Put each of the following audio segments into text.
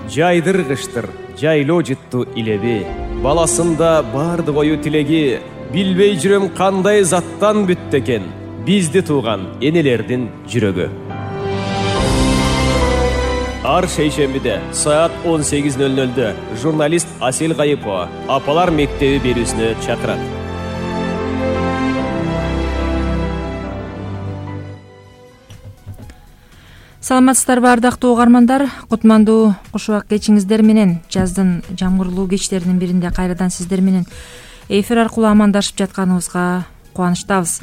жайдыргычтыр жайлоо жытту илеби. Баласында барды кою тилеги, билбей жүрөм кандай заттан бүттү экен бизди тууган энелердин жүрөгү. Ар шейшембиде саат 18:00 журналист Асел Кайыпова апалар мектеби берүүсүнө чакырат. Саламатсыздарбы ардактуу угармандар, кутмандуу куш убак кечиңиздер менен жаздын жамгырлуу кечтеринин биринде кайрадан сиздер менен эфир аркылуу амандашып жатканыбызга кубанычтабыз.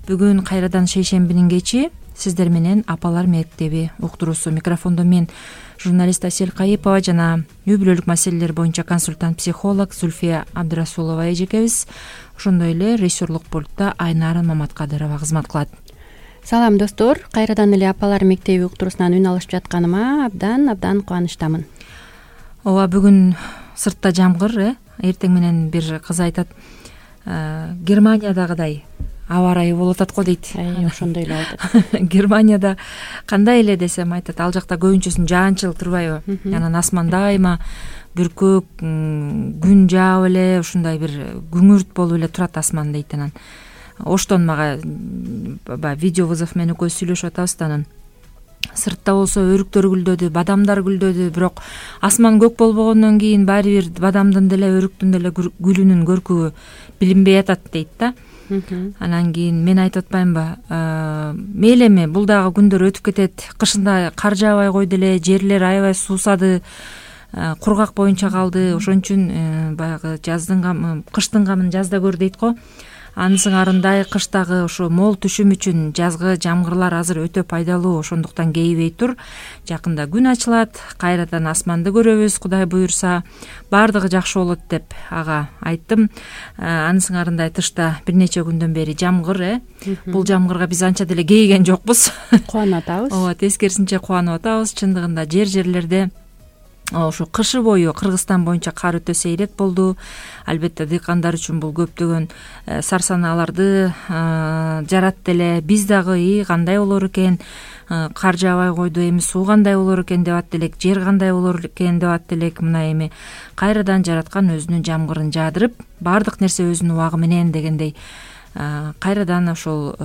Бүгүн кайрадан шейшембинин кечи сиздер менен апалар мектеби уктуруусу. Микрофондо мен журналист Асел Кайыпова жана үй бүлөлүк маселелер боюнча консультант психолог Зульфия Абдырасулова эжекебиз. Ошондой эле режиссерлук пультта Айнарын Маматкадырова кызмат кылат. Салам достор, кайрадан эле апалар мектеби уктуруусунан үн алышып жатканыма абдан кубанычтамын. Ооба, бүгүн сыртта жамгыр, эртең менен бир кыз айтат, Германиядагыдай аба ырайы болуп атат го дейт. Ошондой эле болот. Германияда кандай эле десем айтат, ал жакта көбүнчөсүн жаанчыл турбайбы? Анан асманда айма бүркөк, күн жаап эле ушундай бир күңүрт болуп эле турат асман дейт. Анан оштон мага видео вызов менен экөөбүз сүйлөшүп атабыз да, анан сыртта болсо өрүктөр гүлдөдү, бадамдар гүлдөдү, бирок асман көк болбогондон кийин баары бир бадамдын деле өрүктүн деле гүлүнүн көркүбү билинбей атат дейт да. Анан кийин мен айтып атпаймынбы, мейли эми бул дагы күндөр өтүп кетет, кышында кар жаабай койду эле, жерлер аябай суусады, кургак боюнча калды, ошон үчүн баягы кыштын камын жазда көр дейт го. Анын сыңарындай кыштагы ошо мол түшүм үчүн жазгы жамгырлар азыр өтө пайдалуу, ошондуктан кейбей тур. Жакында күн ачылат, кайрадан асманды көрөбүз, Кудай буюрса, баардыгы жакшы болот деп ага айттым. Анын сыңарындай тышта бир нече күндөн бери жамгыр, Бул жамгырга биз анча деле кейген жокпуз. Кубанып атабыз. Ооба, тескерисинче кубанып атабыз. Чындыгында жерлерде ошо кышы бою Кыргызстан боюнча кар өтө сейрек болду. Албетте дыйкандар үчүн бул көптөгөн сарсаналарды жаратты эле. Биз дагы кандай болор экен, кар жаабай койду, эми суу кандай болор экен деп атты элек, жер кандай болор экен деп атты элек. Мына эми кайрадан жараткан өзүнүн жамгырын жаадырып, баардык нерсе өзүнүн убагы менен дегендей кайрадан ошол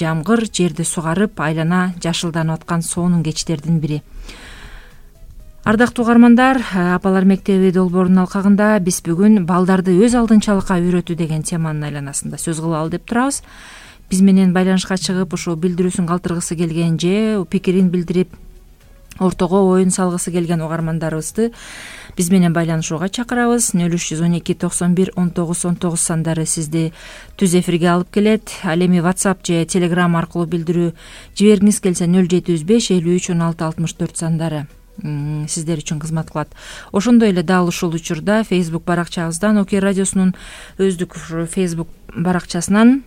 жамгыр жерди сугарып, айлана жашылданып аткан сонун кечтердин бири. Ардактуу угармандар, апалар мектеби долбоорунун алкагында биз бүгүн балдарды өз алдынчалыкка үйрөтүү деген теманын айланасында сөз кылалы деп турабыз. Биз менен байланышка чыгып, ошо билдирүүсүн калтыргысы келген же пикирин билдирип, ортого оюн салгысы келген угармандарыбызды биз менен байланышууга чакырабыз. 0312 91 19 19 сандары сизди түз эфирге алып келет. Ал эми WhatsApp же Telegram аркылуу билдирүү жибергиңиз келсе 0705 53 16 64 сандары сиздер үчүн кызмат кылат. Ошондой эле дал ушул учурда Facebook баракчабыздан, Окей радиосунун өздүк Facebook баракчасынан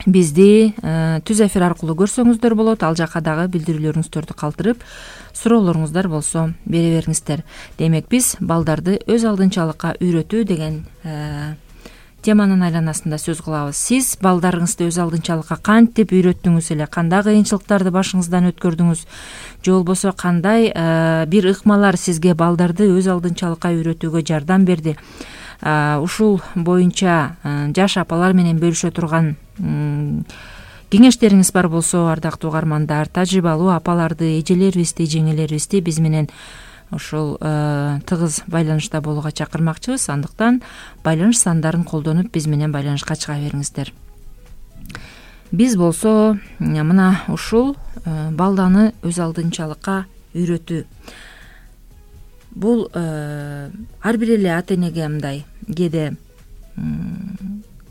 бизди түз эфир аркылуу көрсөңүздөр болот. Ал жака дагы билдирүүлөрүңүздөрдү калтырып, суроолоруңуздар болсо бере бериңиздер. Демек биз балдарды өз алдынчалыкка үйрөтүү деген теманын айланасында сөз кылабыз. Сиз балдарыңызды өз алдынчалыкка кантип үйрөттүңүз эле, кандай кыйынчылыктарды башыңыздан өткөрдүңүз, же болбосо кандай бир ыкмалар сизге балдарды өз алдынчалыкка үйрөтүүгө жардам берди? Ушул боюнча жаш апалар менен бөлүшө турган кеңештериңиз бар болсо, ардактуу угармандар, тажрыйбалуу апаларды, эжелерибизди, жеңелерибизди биз менен ушул тыгыз байланышта болууга чакырмакчыбыз. Андыктан байланыш сандарын колдонуп биз менен байланышка чыга бериңиздер. Биз болсо мына ушул балданы өз алдынчалыкка үйрөтүү. Бул ар бир эле ата энеге мындай кээде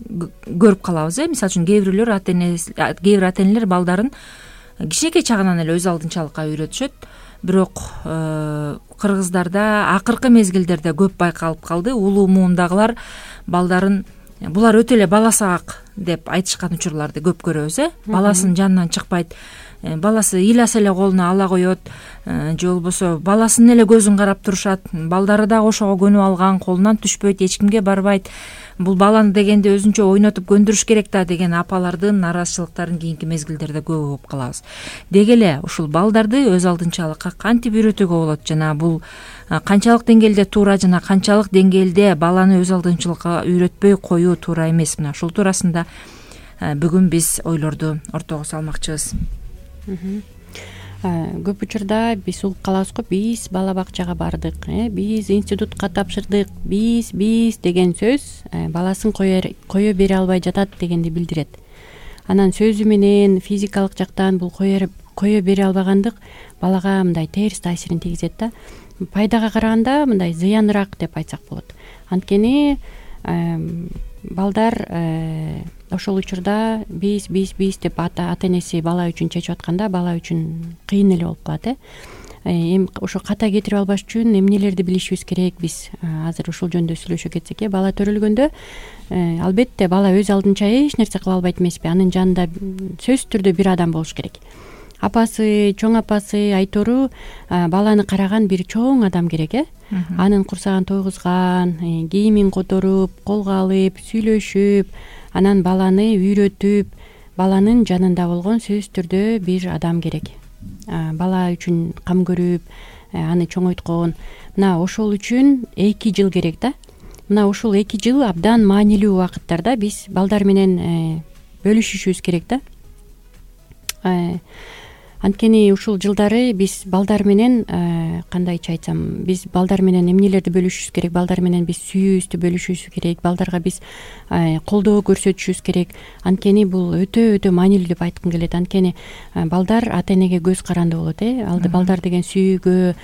көрүп калабыз, мисалы үчүн кээ бир ата энелер балдарын кичинекей чагынан эле өз алдынчалыкка үйрөтүшөт. Бирок кыргыздарда акыркы мезгилдерде көп байкалып калды. Улуу муундагылар балдарын булар өтө эле бала саак деп айтышкан учурларды көп көрөбүз. Баласынын жанынан чыкпайт, баласы ыйласа эле колуна ала коет, же болбосо баласынын эле көзүн карап турушат. Балдары дагы ошого көнүп алган, колунан түшпөйт, эч кимге барбайт. Бул баланы дегенде өзүнчө ойнотуп көндүрүш керек да деген апалардын нараазычылыктарын кийинки мезгилдерде көп угуп калабыз. Деги эле ушул балдарды өз алдынчалыкка кантип үйрөтүүгө болот жана бул канчалык деңгээлде туура жана канчалык деңгээлде баланы өз алдынчылыкка үйрөтпөй коюу туура эмес, мына ушул туурасында бүгүн биз ойлорду ортого салмакчыбыз. Көп учурда биз угуп калабыз го, биз бала бакчага бардык, биз институтка тапшырдык, биз деген сөз баласын кое бере албай жатат дегенди билдирет. Анан сөзү менен физикалык жактан бул кое бере албагандык балага мындай терс таасирин тийгизет да. Пайдага караганда мындай зыяныраак деп айтсак болот. Анткени балдар ошол учурда биз деп ата энеси бала үчүн чечип атканда бала үчүн кыйын эле болуп калат. Эми ошо ката кетирип албаш үчүн эмнелерди билишибиз керек, биз азыр ушул жөнүндө сүйлөшө кетсек. Бала төрөлгөндө албетте бала өз алдынча эч нерсе кыла албайт эмеспи. Анын жанында сөзсүз түрдө бир адам болуш керек. Апасы, чоң апасы, айтору баланы караган бир чоң адам керек. Анын курсагын тойгузган, кийимин которуп, колго алып, сүйлөшүп, анан баланы үйрөтүп, баланын жанында болгон сөзсүз түрдө бир адам керек. Бала үчүн кам көрүп, аны чоңойткон. Мына ошол үчүн 2 жыл керек да. Мына ушул 2 жыл абдан маанилүү убакыттарда биз балдар менен бөлүшүшүбүз керек да. Анткени ушул жылдары биз балдар менен кандайча айтсам, биз балдар менен эмнелерди бөлүшүбүз керек, балдар менен биз сүйүүбүздү бөлүшүбүз керек, балдарга биз колдоо көрсөтүшүбүз керек. Анткени бул өтө маанилүү деп айткым келет. Анткени балдар ата энеге көз каранды болот. Балдар деген сүйүүгө,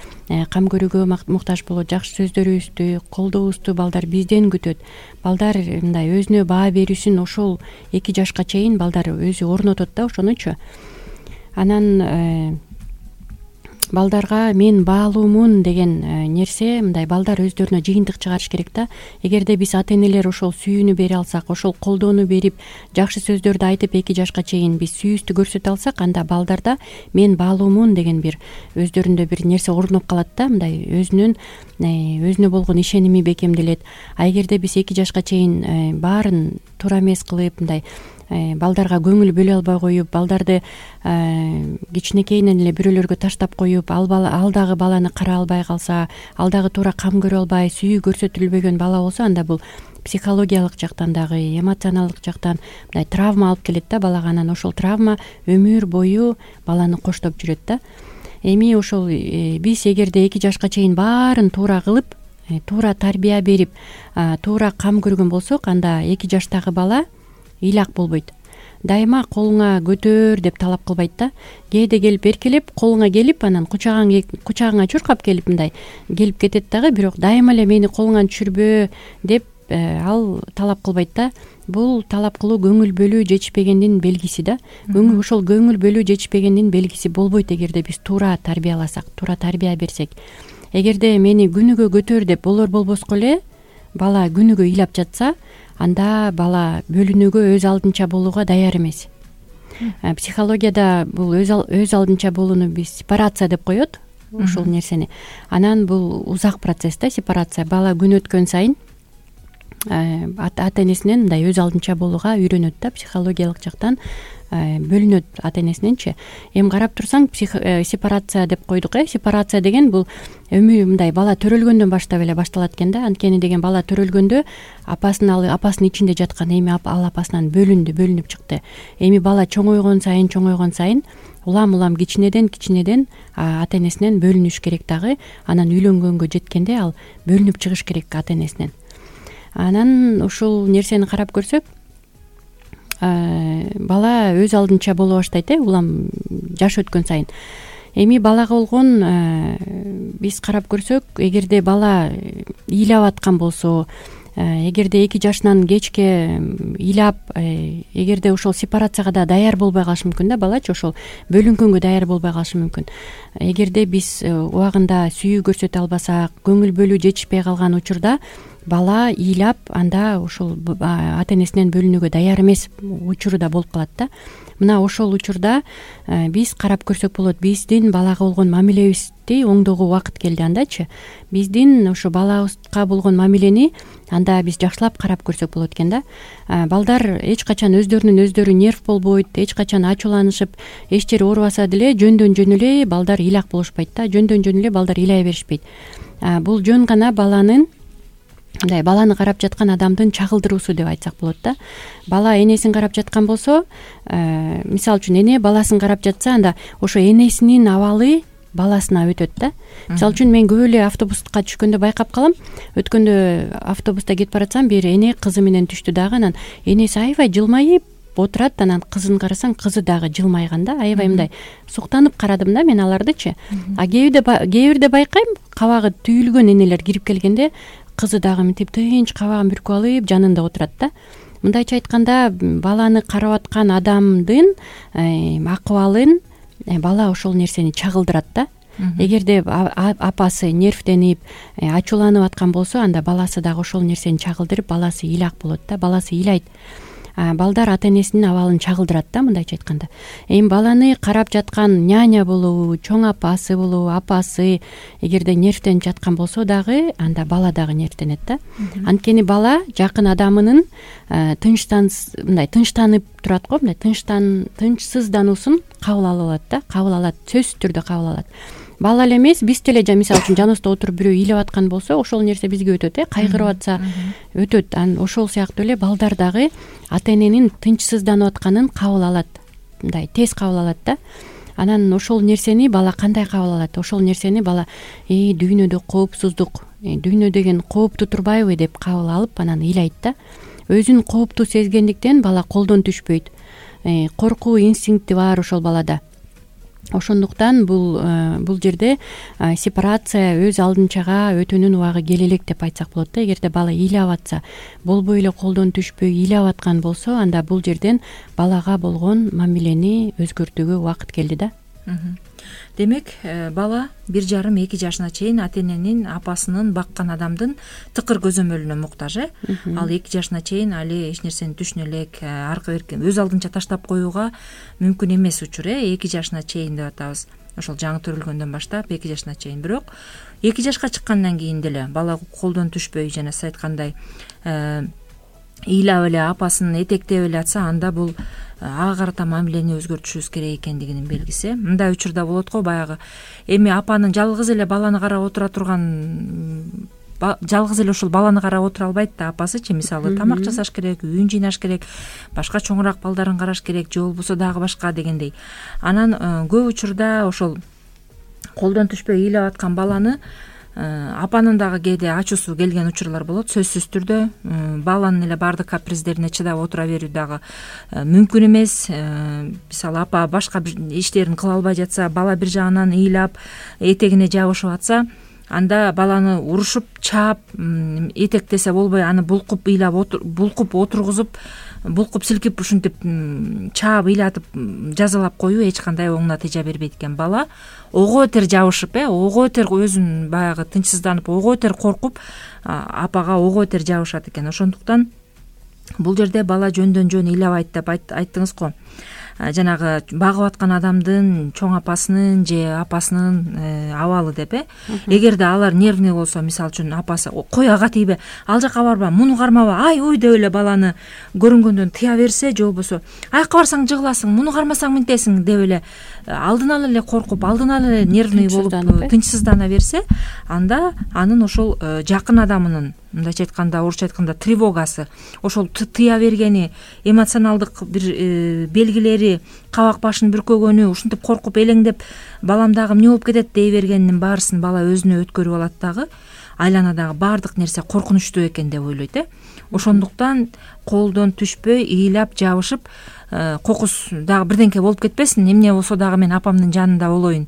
кам көрүүгө муктаж болот. Жакшы сөздөрүбүздү, колдообузду балдар бизден күтөт. Балдар мындай өзүнө баа берүүсүн ошол 2 жашка чейин балдар өзү орнотот да, ошонучу. Анан балдарга мен баалуумун деген нерсе мындай балдар өздөрүнө жыйынтык чыгарыш керек да. Эгерде биз ата энелер ошол сүйүүнү бере алсак, ошол колдоону берип, жакшы сөздөрдү айтып 2 жашка чейин биз сүйүүбүздү көрсөтө алсак, анда балдарда мен баалуумун деген бир өздөрүндө бир нерсе орноп калат да, мындай өзүнө болгон ишеними бекемделет. Эгерде биз 2 жашка чейин баарын туура эмес кылып, мындай балдарга көңүл бөлө албай коюп, балдарды кичинекейинен эле бирөөлөргө таштап коюп, ал дагы баланы карай албай калса, ал дагы туура кам көрө албай, сүйүү көрсөтүлбөгөн бала болсо, анда бул психологиялык жактан дагы, эмоционалдык жактан мындай травма алып келет да балага. Анан ошол травма өмүр бою баланы коштоп жүрөт да. Эми ошол биз эгерде 2 жашка чейин баарын туура кылып, туура тарбия берип, туура кам көргөн болсок, анда 2 жаштагы бала ыйлак болбойт. Дайыма колуңа көтөр деп талап кылбайт да. Кээде келип эркелеп, колуңа келип, анан кучагыңа чуркап келип мындай келип кетет дагы, бирок дайыма эле мени колуңан түшүрбө деп ал талап кылбайт да. Бул талап кылуу көңүл бөлүү жетишпегендин белгиси да. Ошол көңүл бөлүү жетишпегендин белгиси болбойт эгерде биз туура тарбияласак, туура тарбия берсек. Эгерде мени күнүгө көтөр деп болбоско эле бала күнүгө ыйлап жатса, анда бала бөлүнүүгө өз алдынча болууга даяр эмес. Психологияда бул өз алдынча болууну биз сепарация деп коет, ушул нерсени. Анан бул узак процесс да, сепарация. Бала күн өткөн сайын ата энесинен мындай өз алдынча болууга үйрөнөт да, психологиялык жактан бөлүнөт ата энесиненчи. Эми карап турсаң, сепарация деп койдук. Сепарация деген бул мындай бала төрөлгөндөн баштап эле башталат экен да. Анткени деген бала төрөлгөндө апасынын ичинде жаткан, эми ал апасынан бөлүнүп чыкты. Эми бала чоңойгон сайын улам кичинеден ата энесинен бөлүнүш керек дагы. Анан үйлөнгөнгө жеткенде ал бөлүнүп чыгыш керек ата энесинен. Анан ушул нерсени карап көрсөк, бала өз алдынча боло баштайт, улам жаш өткөн сайын. Эми балага болгон биз карап көрсөк, эгерде бала ыйлап аткан болсо, эгерде 2 жашынан кечке ыйлап, эгерде ошол сепарацияга да даяр болбой калышы мүмкүн да, балачы ошол бөлүнгөнгө даяр болбой калышы мүмкүн. Эгерде биз убагында сүйүү көрсөтө албасак, көңүл бөлүү жетишпей калган учурда бала ыйлап, анда ошол ата энесинен бөлүнүүгө даяр эмес учуру да болуп калат да. мына ошол учурда биз карап көрсөк болот, биздин балага болгон мамилебизди оңдоого убакыт келди. Андачы биздин ошо балабызга болгон мамилени анда биз жакшылап карап көрсөк болот экен да. Балдар эч качан өздөрүнүн өздөрү нерв болбойт, эч качан ачууланышып, эч жери оорубаса деле жөндөн жөн эле балдар ыйлак болушпайт да, жөндөн жөн эле балдар ыйлай беришпейт. Бул жөн гана баланы карап жаткан адамдын чагылдыруусу деп айтсак болот да. Бала энесин карап жаткан болсо, мисалы үчүн эне баласын карап жатса, анда ошо энесинин абалы баласына өтөт да. Мисалы үчүн мен көп эле автобуска түшкөндө байкап калам. Өткөндө автобуста кетип баратсам, бир эне кызы менен түштү дагы, анан энеси аябай жылмайып отурат, анан кызын карасаң, кызы дагы жылмайган да. Аябай мындай суктанып карадым да мен алардычы. Кээ бирде байкайм, кабагы түйүлгөн энелер кирип келгенде кызы дагы мынтип тынч кабагын бүркүп алып жанында отурат да. Мындайча айтканда, баланы карап аткан адамдын акыбалын бала ошол нерсени чагылдырат да. Эгерде апасы нервденип, ачууланып аткан болсо, анда баласы дагы ошол нерсени чагылдырып, баласы ыйлак болот да, баласы ыйлайт. Балдар ата энесинин абалын чагылдырат да, мындайча айтканда. Эми баланы карап жаткан няня болобу, чоң апасы болобу, апасы эгерде нервденип жаткан болсо дагы, анда бала дагы нервденет да. Анткени бала жакын адамынын тынчтанып турат го, мындай тынчсыздануусун кабыл алып алат да, кабыл алат, сөзсүз түрдө кабыл алат. Бала эле эмес, биз деле мисалы үчүн жаныбызда отуруп бирөө ыйлап аткан болсо, ошол нерсе бизге өтөт, кайгырып атса өтөт. Ошол сыяктуу эле балдар дагы ата эненин тынчсызданып атканын кабыл алат, мындай тез кабыл алат да. Анан ошол нерсени бала кандай кабыл алат? Ошол нерсени бала дүйнөдө коопсуздук, дүйнө деген кооптуу турбайбы деп кабыл алып, анан ыйлайт да. Өзүн кооптуу сезгендиктен бала колдон түшпөйт. Коркуу инстинкти бар ошол балада. Ошондуктан бул жерде сепарация өз алдынчага өтүүнүн убагы келе элек деп айтсак болот да. Эгерде бала ыйлап атса, болбой эле колдон түшпөй ыйлап аткан болсо, анда бул жерден балага болгон мамилени өзгөртүүгө убакыт келди да. Демек, бала 1,5-2 жашына чейин ата эненин, апасынын баккан адамдын тыкыр көзөмөлүнө муктаж. Ал 2 жашына чейин али эч нерсени түшүнө элек, аркы берки өз алдынча таштап коюуга мүмкүн эмес учур. 2 жашына чейин деп атабыз. Ошол жаңы төрөлгөндөн баштап 2 жашына чейин. Бирок 2 жашка чыккандан кийин деле бала колдон түшпөй, жана сиз айткандай ыйлап эле, апасын этектеп эле атса, анда бул ага карата мамилени өзгөртүшүбүз керек экендигинин белгиси. Мындай учурда болот го, баягы эми апанын жалгыз эле баланы карап отура турган, жалгыз эле ошол баланы карап отура албайт да апасычы. Мисалы, тамак жасаш керек, үйүн жыйнаш керек, башка чоңураак балдарын караш керек, же болбосо дагы башка дегендей. Анан көп учурда ошол колдон түшпөй ыйлап аткан баланы апанын дагы кээде ачуусу келген учурлар болот. Сөзсүз түрдө баланын эле баардык каприздерине чыдап отура берүү дагы мүмкүн эмес. Мисалы, апа башка бир иштерин кыла албай жатса, бала бир жагынан ыйлап, этегине жабышып атса, анда баланы урушуп, чаап, этектесе болбой, аны булкуп ыйлап, булкуп отургузуп, булкуп силкип, ушинтип чаап, ыйлатып, жазалап коюу эч кандай оң натыйжа бербейт экен. Бала ого бетер жабышып, ого бетер өзүн баягы тынчсызданып, ого бетер коркуп, апага ого бетер жабышат экен. Ошондуктан бул жерде бала жөндөн жөн ыйлабайт деп айттыңыз го. Жанагы багып аткан адамдын, чоң апасынын же апасынын абалы деп. Эгерде алар нервный болсо, мисалы үчүн апасы кой ага тийбе, ал жака барба, муну кармаба, ай ой деп эле баланы көрүнгөндөн тыя берсе, же болбосо аяка барсаң жыгыласың, муну кармасаң мынтесиң деп эле алдын ала эле коркуп, алдын ала эле нервный болуп тынчсыздана берсе, анда анын ошол жакын адамынын, мындайча айтканда, орусча айтканда тревогасы, ошол тыя бергени, эмоционалдык бир белгилери, кабак башын бүркөгөнү, ушинтип коркуп элеңдеп, балам дагы эмне болуп кетет дей бергенинин баарысын бала өзүнө өткөрүп алат дагы, айланадагы баардык нерсе коркунучтуу экен деп ойлойт. Ошондуктан колдон түшпөй, ыйлап, жабышып, кокус дагы бирденке болуп кетпесин, эмне болсо дагы мен апамдын жанында болоюн,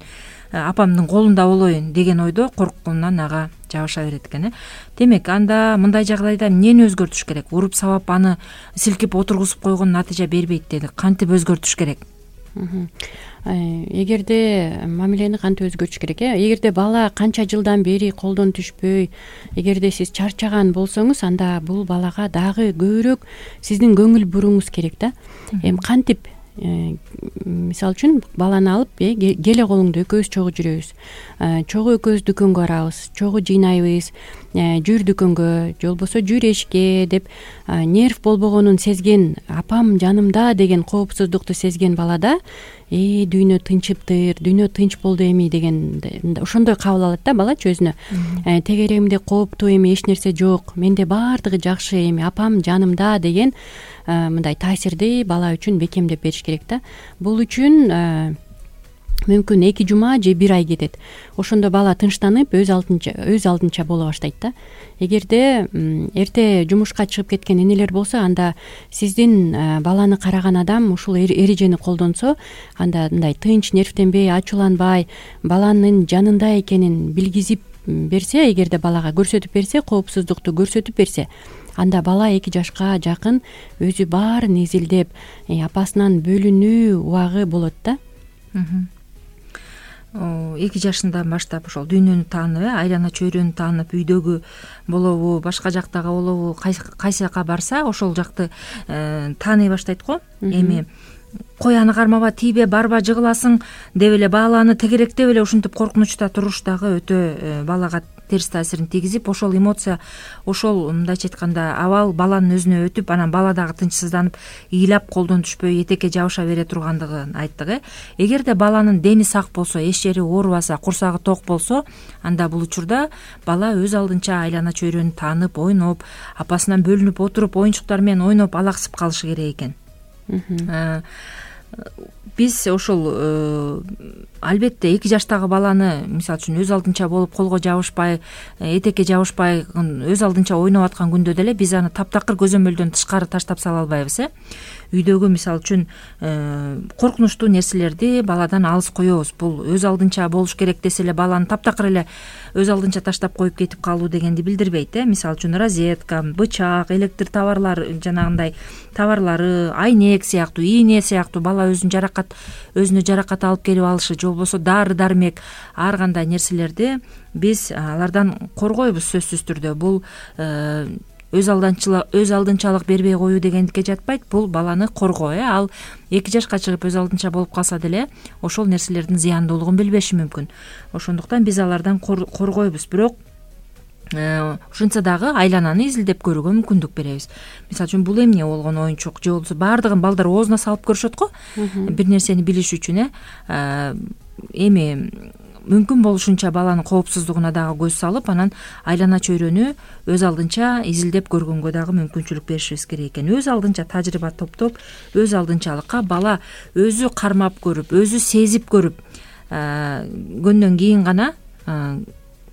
апамдын колунда болоюн деген ойдо коркконунан ага жабыша берет экен. Демек, анда мындай жагдайда эмнени өзгөртүш керек? Уруп сабап аны силкип отургузуп койгон натыйжа бербейт деди. Кантип өзгөртүш керек? Эгерде мамилени кантип өзгөртүш керек? Эгерде бала канча жылдан бери колдон түшпөй, эгерде сиз чарчаган болсоңуз, анда бул балага дагы көбүрөөк сиздин көңүл буруңуз керек да. Эми кантип мисалы үчүн баланы алып келе колуңду экөөбүз чогуу жүрөбүз, чогуу экөөбүз дүкөнгө барабыз, чогуу жыйнайбыз, жүр дүкөнгө же болбосо жүр эшикке деп нерв болбогонун сезген, апам жанымда деген коопсуздукту сезген балада дүйнө тынчыптыр, дүйнө тынч болду эми деген ошондой кабыл алат да балачы өзүнө. Тегеремде кооптуу эми эч нерсе жок, менде баардыгы жакшы, эми апам жанымда деген мындай таасирди бала үчүн бекемдеп бериш керек да. Бул үчүн мүмкүн 2 жума же 1 ай кетет. Ошондо бала тынчтанып өз алдынча боло баштайт да. Эгерде эрте жумушка чыгып кеткен энелер болсо, анда сиздин баланы караган адам ушул эрежени колдонсо, анда мындай тынч, нервтенбей, ачууланбай, баланын жанында экенин билгизип берсе, эгерде балага көрсөтүп берсе, коопсуздукту көрсөтүп берсе, анда бала 2 жашка жакын өзү баарын изилдеп, апасынан бөлүнүү убагы болот да. 2 жашынан баштап ошол дүйнөнү таанып, айлана чөйрөнү таанып, үйдөгү болобу, башка жактагы болобу, кайсы жака барса ошол жакты тааный баштайт го. Эми кой аны кармаба, тийбе, барба, жыгыласың деп эле баланы тегеректеп эле ушинтип коркунучта туруш дагы өтө балага терс таасирин тийгизип, ошол эмоция, ошол мындайча айтканда абал баланын өзүнө өтүп, анан бала дагы тынчсызданып, ыйлап колдон түшпөй этекке жабыша бере тургандыгын айттык. Эгерде баланын дени сак болсо, эч жери оорубаса, курсагы ток болсо, анда бул учурда бала өз алдынча айлана чөйрөнү таанып, ойноп, апасынан бөлүнүп отуруп, оюнчуктар менен ойноп алаксып калышы керек экен. Биз ошол албетте 2 жаштагы баланы мисалы үчүн өз алдынча болуп, колго жабышпай, этекке жабышпай, өз алдынча ойноп аткан күндө деле биз аны таптакыр көзөмөлдөн тышкары таштап сала албайбыз. Үйдөгү мисалы үчүн коркунучтуу нерселерди баладан алыс коебуз. Бул өз алдынча болуш керек десе эле баланы таптакыр эле өз алдынча таштап коюп кетип калуу дегенди билдирбейт. Мисалы үчүн розетка, бычак, электр товарлар, жанагындай товарлары, айнек сыяктуу, ийне сыяктуу бала өзүнө жаракат алып келип алышы, же болбосо дары дармек, ар кандай нерселерди биз алардан коргойбуз сөзсүз түрдө. Бул өз алдынчалык бербей коюу дегендикке жатпайт. Бул баланы коргоо. Ал 2 жашка чыгып өз алдынча болуп калса деле ошол нерселердин зыяндуулугун билбеши мүмкүн. Ошондуктан биз алардан коргойбуз. Бирок ушинтсе дагы айлананы изилдеп көрүүгө мүмкүндүк беребиз. Мисалы үчүн бул эмне болгон оюнчук, же болбосо баардыгын балдар оозуна салып көрүшөт го, бир нерсени билиш үчүн. Эми мүмкүн болушунча баланын коопсуздугуна дагы көз салып, анан айлана чөйрөнү өз алдынча изилдеп көргөнгө дагы мүмкүнчүлүк беришибиз керек экен. Өз алдынча тажрыйба топтоп, өз алдынчалыкка бала өзү кармап көрүп, өзү сезип көрүп көнгөн кийин гана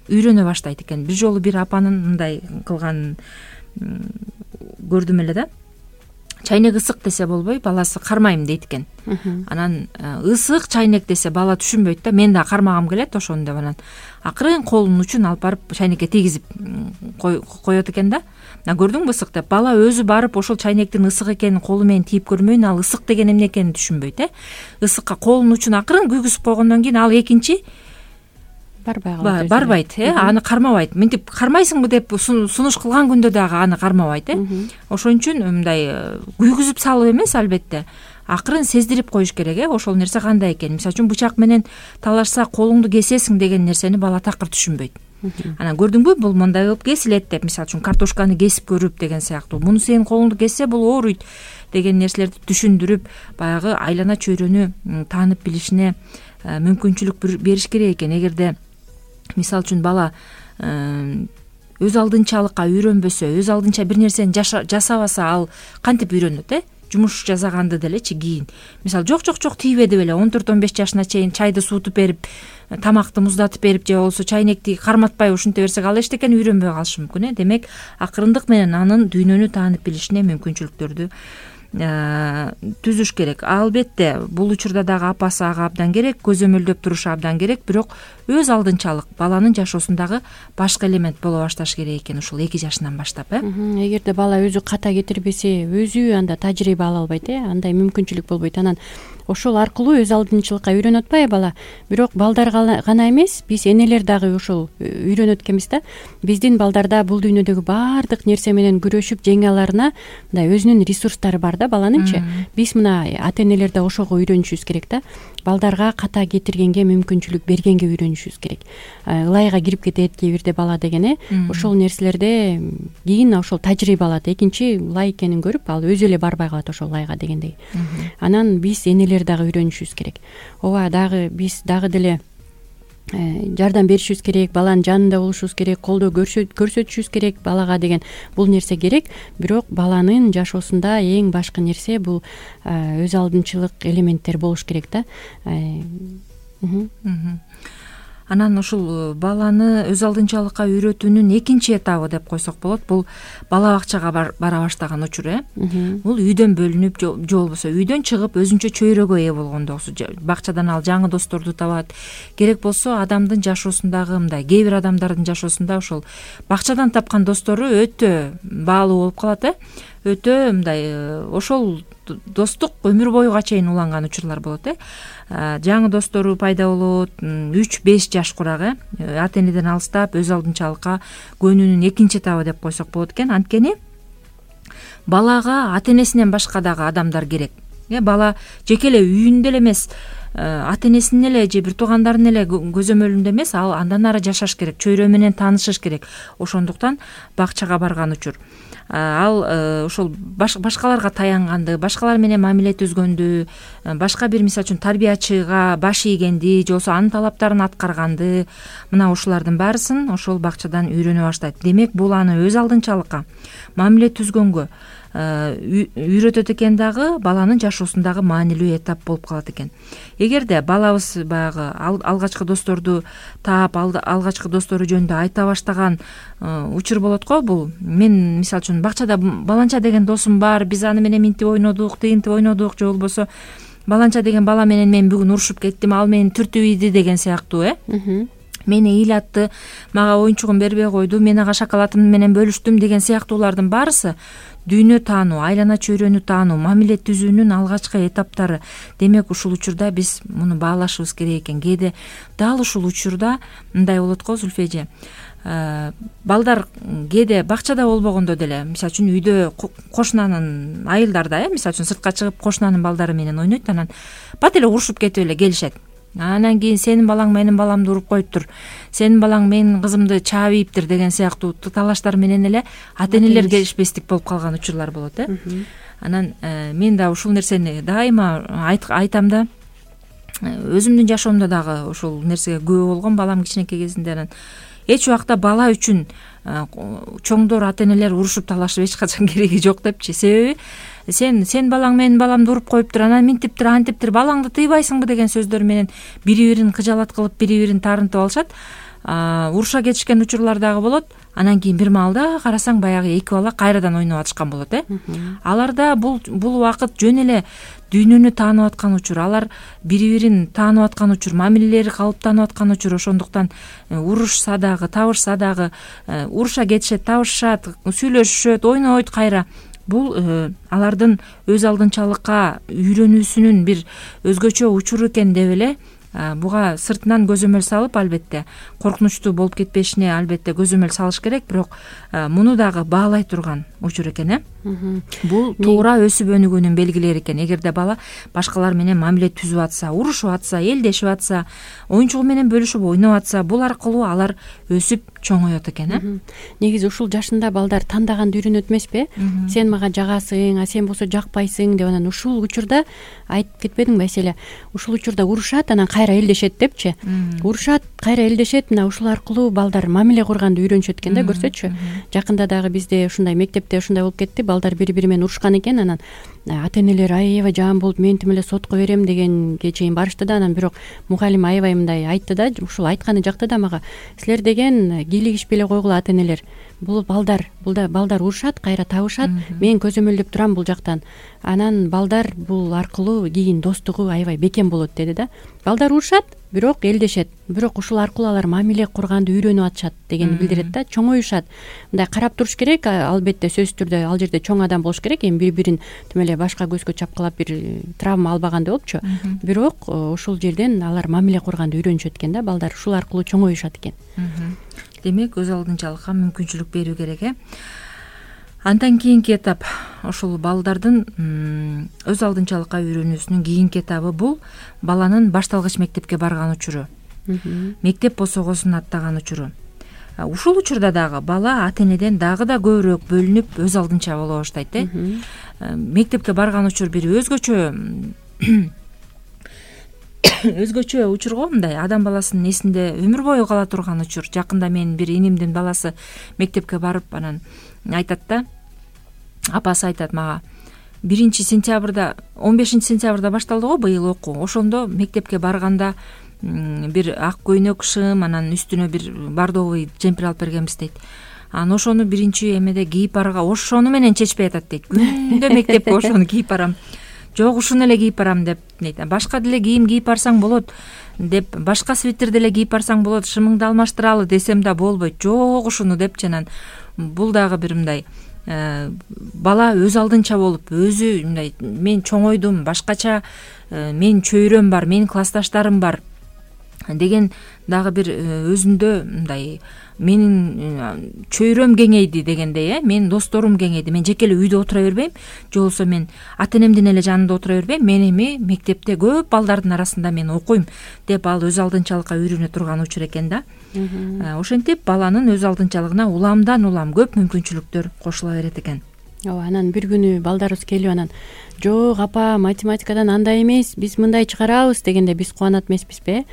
үйрөнө баштайт экен. Бир жолу бир апанын мындай кылганын көрдүм эле да. Чайнек ысык десе болбой, баласы кармайм дейт экен. Анан ысык чайнек десе бала түшүнбөйт да, мен да кармагым келет ошону деп, анан акырын колунун учун алып барып чайнекке тийгизип коет экен да. Көрдүңбү ысык деп, бала өзү барып ошол чайнектин ысык экенин колу менен тийип көрмөйүн, ал ысык деген эмне экенин түшүнбөйт. Ысыкка колунун учун акырын күйгүзүп койгондон кийин ал экинчи барбайт, аны кармабайт. Мынтип кармайсыңбы деп сунуш кылган күндө дагы аны кармабайт. Ошон үчүн мындай күйгүзүп салып эмес, албетте акырын сездирип коюш керек. Ошол нерсе кандай экен. Мисалы үчүн бычак менен талашса колуңду кесесиң деген нерсени бала такыр түшүнбөйт. Анан көрдүңбү, бул мындай кылып кесилет деп, мисалы үчүн картошканы кесип көрүп деген сыяктуу. Муну сенин колуңду кессе бул ооруйт деген нерселерди түшүндүрүп, баягы айлана чөйрөнү таанып билишине мүмкүнчүлүк бериш керек экен. Эгерде мисалы үчүн бала өз алдынчалыкка үйрөнбөсө, өз алдынча бир нерсени жасабаса, ал кантип үйрөнөт? Жумуш жасаганды делечи кийин. Мисалы жок тийбе деп эле 14-15 жашына чейин чайды суутуп берип, тамакты муздатып берип, же болбосо чайнекти карматпай ушинте берсек, ал эчтекен үйрөнбөй калышы мүмкүн. Демек, акырындык менен анын дүйнөнү таанып билишине мүмкүнчүлүктөрдү түзүш керек. Албетте бул учурда дагы апасы ага абдан керек, көзөмөлдөп турушу абдан керек, бирок өз алдынчалык баланын жашоосундагы башкы элемент боло башташ керек экен ушул 2 жашынан баштап. Эгерде бала өзү ката кетирбесе, өзү анда тажрыйба ала албайт, андай мүмкүнчүлүк болбойт. Анан ошол аркылуу өз алдынчылыкка үйрөнүп атпайбы бала. Бирок балдар гана эмес, биз энелер дагы ошол үйрөнүп экенбиз да. Биздин балдарда бул дүйнөдөгү баардык нерсе менен күрөшүп жеңе аларына мындай өзүнүн ресурстары бар да баланынчы. Биз мына ата-энелер да ошого үйрөнүшүбүз керек да. Балдарга ката кетиргенге, мүмкүнчүлүк бергенге үйрөнүшүбүз керек. Ылайга кирип кетет кээ бирде бала деген ошол нерселерде кийин ошол тажрыйба алат. Экинчи ылай экенин көрүп ал өзү эле барбай калат ошол ылайга дегендей. Анан биз энелер дагы үйрөнүшүбүз керек. Ооба, дагы биз дагы деле жардам беришибиз керек, баланын жанында болушубуз керек, колдоо көрсөтүшүбүз керек балага деген бул нерсе керек. Бирок баланын жашоосунда эң башкы нерсе бул өз алдынчылык элементтер болуш керек да. Анан ушул баланы өз алдынчалыкка үйрөтүүнүн экинчи этабы деп койсок болот, бул бала бакчага бара баштаган учур. Бул үйдөн бөлүнүп же болбосо үйдөн чыгып өзүнчө чөйрөгө ээ болгондо бакчадан ал жаңы досторду табат. Керек болсо адамдын жашоосундагы мындай кээ бир адамдардын жашоосунда ошол бакчадан тапкан достору өтө баалуу болуп калат. Өтө мындай ошол достук өмүр боюга чейин уланган учурлар болот. Жаңы достору пайда болот 3-5 жаш курак. Ата-энеден алыстап өз алдынчалыкка көнүүнүн экинчи этабы деп койсок болот экен. Анткени балага ата-энесинен башка дагы адамдар керек. Бала жеке эле үйүндө эле эмес, ата-энесинин эле же бир туугандарын эле көзөмөлүндө эмес, ал андан ары жашаш керек, чөйрө менен таанышыш керек. Ошондуктан бакчага барган учур. Ал ошол башкаларга таянганды, башкалар менен мамиле түзгөндү, башка бир мисалы үчүн тарбиячыга баш ийгенди, же болбосо анын талаптарын аткарганды, мына ушулардын баарысын ошол бакчадан үйрөнө баштайт. Демек, бул аны өз алдынчалыкка, мамиле түзгөнгө үйрөтөт экен, дагы баланын жашоосундагы маанилүү этап болуп калат экен. Эгерде балабыз баягы алгачкы досторду таап, алгачкы достору жөнүндө айта баштаган учур болот го. Бул мен мисалы үчүн бакчада баланча деген досум бар, биз аны менен минтип ойнодук, тигинтип ойнодук, же болбосо баланча деген бала менен мен бүгүн урушуп кеттим, ал мени түртүп ийди деген сыяктуу. Мени ыйлатты, мага оюнчугун бербей койду, мен ага шоколадым менен бөлүштүм деген сыяктуулардын баарысы дүйнө таануу, айлана чөйрөнү таануу, мамиле түзүүнүн алгачкы этаптары. Демек, ушул учурда биз муну баалашыбыз керек экен. Кээде дал ушул учурда мындай болот го, Зүлфэже. Балдар кээде бакчада болбогондо деле, мисалы үчүн үйдө кошунанын айылдарда, мисалы үчүн сыртка чыгып кошунанын балдары менен ойнойт, анан бат эле урушуп кетип эле келишет. Анан кийин сенин балаң менин баламды уруп коюптур, сенин балаң менин кызымды чаап ийиптир деген сыяктуу талаштар менен эле ата-энелер келишпестик болуп калган учурлар болот. Анан мен да ушул нерсени дайыма айтам да, өзүмдүн жашоомдо дагы ушул нерсеге күбө болгом. Балам кичинекей кезинде анан эч убакта бала үчүн чоңдор, ата-энелер урушуп талашып эч качан кереги жок депчи. Себеби сен балаң менин баламды уруп коюптур, анан минтиптир, антиптир, балаңды тыйбайсыңбы деген сөздөр менен бири-бирин кыжалат кылып, бири-бирин таарынтып алышат. Уруша кетишкен учурлар дагы болот. Анан кийин бир маалда карасаң баягы эки бала кайрадан ойноп атышкан болот. Аларда бул убакыт жөн эле дүйнөнү таанып аткан учур, алар бири-бирин таанып аткан учур, мамилелери калыптанып аткан учур. Ошондуктан урушса дагы, табышса дагы, уруша кетишет, табышышат, сүйлөшүшөт, ойнойт кайра. Бул алардын өз алдынчалыкка үйрөнүүсүнүн бир өзгөчө учуру экен деп эле буга сыртынан көзөмөл салып, албетте коркунучтуу болуп кетпешине албетте көзөмөл салыш керек. Бирок муну дагы баалай турган учур экен. Бул туура өсүп өнүгүүнүн белгилери экен. Эгерде бала башкалар менен мамиле түзүп атса, урушуп атса, элдешип атса, оюнчугу менен бөлүшүп ойноп атса, бул аркылуу алар өсүп чоңоет экен. Негизи ушул жашында балдар тандаганды үйрөнөт эмеспи? Сен мага жагасың, сен болсо жакпайсың деп, анан ушул учурда айтып кетпедиңби эселе? Ушул учурда урушат, анан кайра элдешет депчи. Урушат, кайра элдешет. Мына ушул аркылуу балдар мамиле курганды үйрөнүшөт экен да, көрсөтчү. Жакында дагы бизде ушундай мектепте ушундай болуп кетти. Балдар бири-бири менен урушкан экен, анан ата-энелер аябай жаман болуп, мен тим эле сотко берем дегенге чейин барышты да. Анан бирок мугалим аябай мындай айтты да, ушул айтканы жакты да мага. Силер деген кийлигишпей эле койгула, ата-энелер. Бул балдар урушат, кайра табышат. Мен көзөмөлдөп турам бул жактан. Анан балдар бул аркылуу кийин достугу аябай бекем болот деди да. Балдар урушат, бирок элдешет. Бирок ушул аркылуу алар мамиле курганды үйрөнүп атышат дегенди билдирет да. Чоңоюшат. Мындай карап туруш керек. Албетте сөзсүз түрдө ал жерде чоң адам болуш керек. Эми бири-бирин тим эле башка көзгө чапкылап бир травма албагандай болупчу, бирок ушул жерден алар мамиле курганды үйрөнүшөт экен да, балдар ушул аркылуу чоңоюшат экен. Демек өз алдынчалыкка мүмкүнчүлүк берүү керек. Андан кийинки этап ушул балдардын өз алдынчалыкка үйрөнүүсүнүн кийинки этабы бул баланын башталгыч мектепке барган учуру, мектеп босогосун аттаган учуру. Ушул учурда дагы бала ата энеден дагы да көбүрөөк бөлүнүп өз алдынча боло баштайт. Мектепке барган учур бир өзгөчө учур го, мындай адам баласынын эсинде өмүр бою кала турган учур. Жакында менин бир инимдин баласы мектепке барып анан айтат да, апасы айтат мага, 15 сентябрда башталды го быйыл окуу. Ошондо мектепке барганда бир ак көйнөк шым, анан үстүнө бир бордовый жемпир алып бергенбиз дейт. Анан ошону биринчи эмеде кийип барга ошону менен чечпей атат дейт. Күндө мектепке ошону кийип барам. Жок, ушуну эле кийип барам деп дейт. Башка деле кийим кийип барсаң болот деп, башка свитер деле кийип барсаң болот, шымыңды алмаштыралы десем да болбойт. Жок, ушуну деп жанан бул дагы бир мындай бала өз алдынча болуп, өзү мындай мен чоңойдум, башкача менин чөйрөм бар, менин классташтарым бар деген дагы бир өзүндө мындай менин чөйрөм кеңейди дегендей, менин досторум кеңейди, мен жеке эле үйдө отура бербейм, же болбосо мен ата энемдин эле жанында отура бербейм, мен эми мектепте көп балдардын арасында мен окуйм деп ал өз алдынчалыкка үйрөнө турган учур экен да. Ошентип баланын өз алдынчалыгына уламдан улам көп мүмкүнчүлүктөр кошула берет экен. Ооба, анан бир күнү балдарыбыз келип анан жок апа, математикадан андай эмес, биз мындай чыгарабыз дегенде биз кубанат эмеспизби?